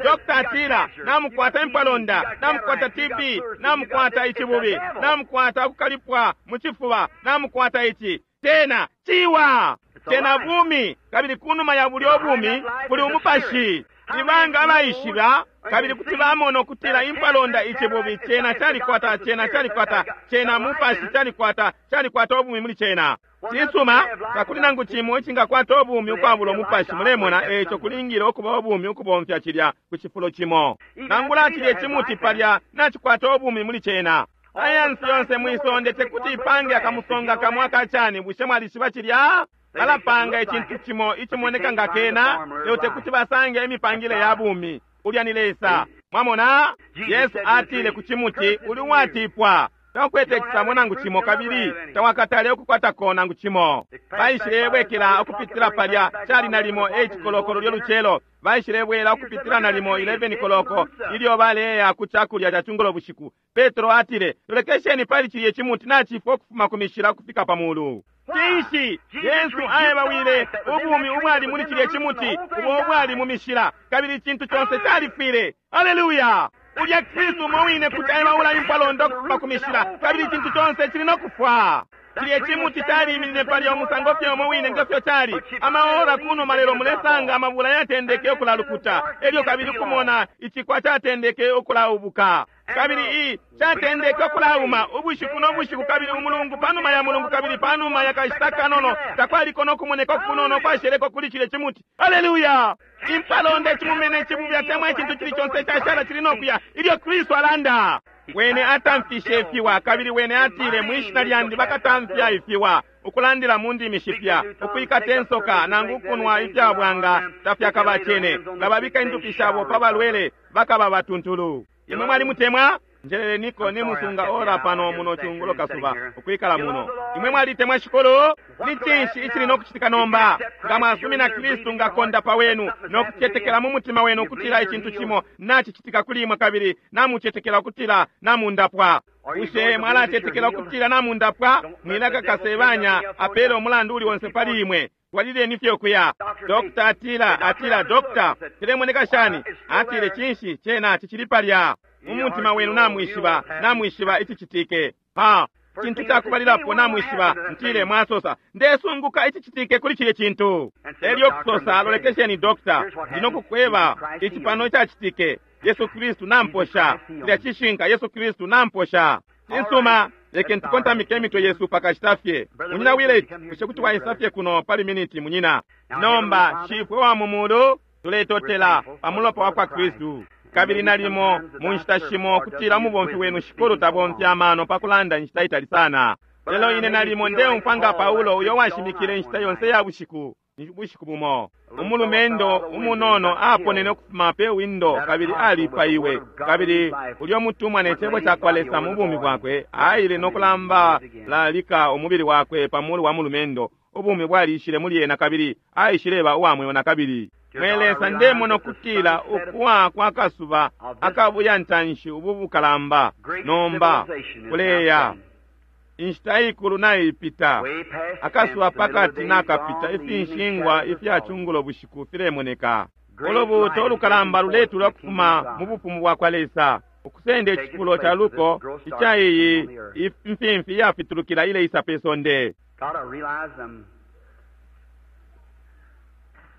Speaker 2: Dr. atila namukwata impalonda, namukwata TB, namukwata icibubi, namukwata ukukalipwa mu cifuba, namukwata ici. Tena ciwa, tena bumi, kabili kunuma ya bulyo bumi kuli umupashi. Ibanga abaishiba kabili kuti bamona ukutila impalonda icibubi cena calikwata, cena calikwata, cena mupashi calikwata, calikwata ubumi muli cena. Cisuma, takuli nangu cimo icingakwata ubumi ukwabula umupashi. Mulemona, eco kulingile ukuba ubumi ukubomfya cilya ku cifulo cimo. Nangula cilye cimuti palya nacikwata ubumi muli cena. Sayansi yonse mwisonde tekuti ipange akamusonga kamwe akacani. Bushe mwalishiba cilya? Balapanga icintu cimo icimoneka nga kena, lelo tekuti basange imipangile ya bumi. Ulya ni Lesa. Mwamona, Yesu atile ku cimuti, uli uwatipwa. Taukwete icisabo nangu cimo kabili tawakatale ukukwatako nangu cimo. Baishilebwekela ukupitila palya, cali nalimo 8 koloko lulyo lucelo. Baishilebwela ukupitila nalimo 11 koloko ilyo baleya ku cakulya ca cungulo bushiku. Petro atile, Lolekesheni pali cilye cimuti nacifwa ukufuma ku mishila ukufika pa mulu. Cinshi? Yesu aebawile ubumi ubwali muli cilye cimuti ubo ubwali mu mishila, kabili icintu conse califwile. Aleluya! Ulya Kristu umo wine kuti aebaula impwalonda ukufuma ku mishila, kabili icintu conse cili no kufwa. Cilye cimuti caliiminine palya umusango fye umo wine nge fyo cali amaora kunuma, lelo mulesanga amabula yatendeke ukulalukuta, elyo kabili kumona icikwa catendeke ukulaubuka. Kabili i catendeke ukulauma ubushiku no bushiku, kabili umulungu panuma ya mulungu, kabili panuma ya kashita kanono takwaliko no kumoneka kunono kwasheleko kuli cilye cimuti. Aleluya! Impalonda, icimumene, icibubya, temwa icintu cili conse icashala cili no kuya ilyo Kristu alanda. Wene atamfishe ifiwa, kabili wene atile, mwi shina lyandi bakatamfya ifiwa, ukulandila mu ndimi shipya, ukwikata insoka, nangu ukunwa ifya bwanga tafyakabacene, nga babika indupi shabo pa balwele bakaba batuntulu. Imwe mwalimutemwa? Njeleleniko nimusunga ora pano muno cungulo kasuba ukwikala muno. Imwe mwalitemwa Shikulu? Ni cinshi icili no kucitika nomba? Nga mwasumina Kristu nga kondapa wenu no kucetekela mu mutima wenu ukutila icintu cimo nacicitika kuli imwe, kabili namucetekela ukutila namundapwa. Bushe mwalacetekela ukutila namundapwa? Mwileka kasebanya apele umulandu uli onse pali imwe. Twalileni fye ukuya. Dokta atila, atila, dokta, cilemoneka shani? Atile, cinshi, cena cicili palya. Mu mutima wenu namwishiba, namwishiba icicitike. Ha! Cintu cakubalilapo namwishiba, ntile mwasosa, ndesunguka icicitike kuli cilye cintu. Elyo kusosa, lolekesheni dokta, ndi no kukweba ici pano icacitike. Yesu Kristu namposha. Cilya cishinka, Yesu Kristu namposha. Cisuma, lekeni tukontamike imitwe yesu pakashita fye. Munyina Willett, bushe kuti waisa fye kuno pali miniti, munyina? Nomba, Shifwe wa mu Mulu, tuletotela pa mulopa wa kwa Kristu. Kabili nalimo mu nshita shimo kutila umubomfi wenu Shikulu tabomfya amano pa kulanda inshita itali sana. Lelo ine nalimo ndeumfwa nga Paulo uyo washimikile inshita yonse ya bushiku, bushiku bumo. Umulumendo umunono aponene ukufuma pe windo kabili alipaiwe. Kabili ulyo mutumwa ne cebo ca kwa Lesa mu bumi bwakwe aile no kulamba lalika umubili wakwe pa mulu wa mulumendo. Ubumi bwalishile muli ena kabili aishileba uwa mweo na kabili. Mwe Lesa, ndemona ukutila ukuwa kwa kasuba akabuya ntanshi ubu bukalamba nomba kuleya. Inshita ikulu naipita, akasuba pakati nakapita, ifinshingwa ifya cungulo bushiku filemoneka. Ulubuuto ulukalamba luletula ukufuma mu bufumu bwa kwa Lesa, ukusenda icifulo ca luko ica iyi imfimfi iyafitulukila ileisa pe sonde.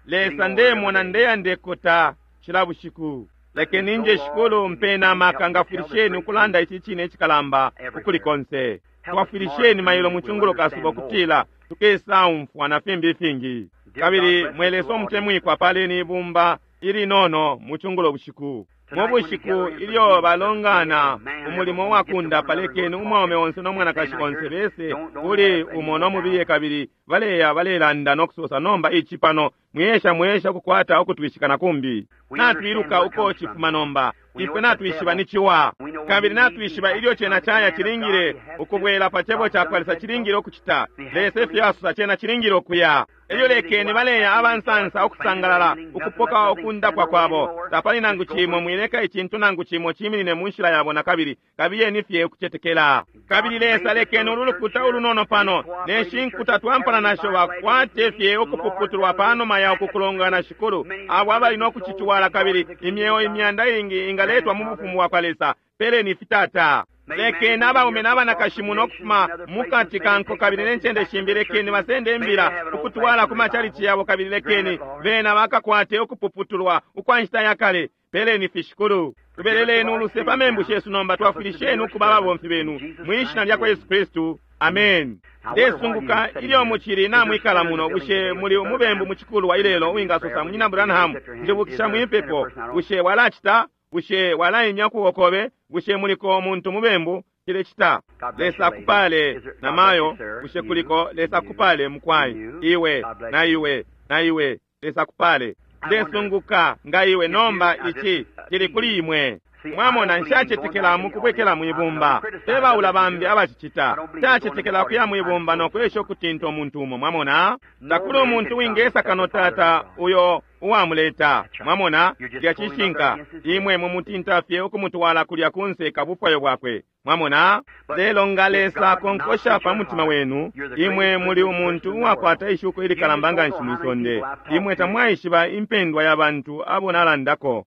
Speaker 2: Lesa, ndemona ndeya ndekota cila bushiku. Lekeni nje Shikulu mpena amaka, ngafwilisheni ukulanda ici cine icikalamba ukuli konse. Twafwilisheni mailo mu cungulo kasuba ukutila tukesaumfwa na fimbi ifingi. Kabili mwe Lesa umutemwikwa, paleni ibumba ilinono mu cungulo bushiku. Mu bushiku ilyo balongana umulimo wa kundapa, lekeni umwaume onse no mwanakashi onse bese kuli umo no mubiye, kabili baleya balelanda no kusosa, nomba ici pano mwiyesha mwiyesha ukukwata ukutwishika na kumbi. Natwiluka uko cifuma nomba, ifwe natwishiba ni ciwa, kabili natwishiba ilyo cena caya cilingile ukubwela pa cebo ca kwa Lesa, cilingile ukucita Lesa ifyo asosa, cena cilingile ukuya. Elyo lekeni baleya abansansa ukusangalala ukupoka ukundapwa kwabo. Tapali nangu cimo, mwileka icintu nangu cimo ciminine mu nshila yabo na kabili, kabiyeni fye ukucetekela. Kabili Lesa, lekeni ulu lukuta ulunono pano ne shinkuta twampana nasho bakwate fye ukupuputulwa panuma ya ukukulongana, Shikulu, abo abali no kucitwala, kabili imyeo imyanda ingi ingaletwa mu bufumu bwa kwa Lesa. Peleni fitata. Lekeni abaume n'abanakashi muno ukufuma mukati ka nko kabili ne ncende shimbi, lekeni basende imbila ukutwala ku macalici yabo, kabili lekeni bena bakakwate ukupuputulwa ukwa nshita ya kale. Peleni fi, Shikulu. Tubeleleni uluse pa membu shesu nomba, twafwilisheni ukuba ababomfi benu mwi shina lya kwa Yesu Kristu. Amen. Ndesunguka ilyo mucili namwikala muno, bushe muli umubembu mu cikulwa ilelo uwingasosa, Munyina Branham, njibukisha mwipepo? Bushe walacita? Bushe walaimya ukuboko kobe? Bushe muliko umuntu mubembu? Cilecita. Lesa akupale na mayo. Bushe kuliko? Lesa akupale mukwai. Iwe na iwe na iwe. Lesa akupale. Ndesunguka nga iwe nomba ici cili kuli imwe. Mwamona, nshacetekela mukubwekela mwibumba. Tebaula bambi abacicita. Nshacetekela kuya mwibumba no kwesha ukutinta umuntu umo. Mwamona, takuli umuntu wingesa kano Tata uyo uwamuleta. Mwamona, lya cishinka. Imwe mumutinta fye ukumutwala kulya kunse kabufwayo bwakwe. Mwamona, lelo nga Lesa akonkosha pa mutima wenu, imwe muli umuntu uwakwata ishuko ilikalamba nganshi mwisonde. Imwe tamwaishiba impendwa ya bantu abo nalandako.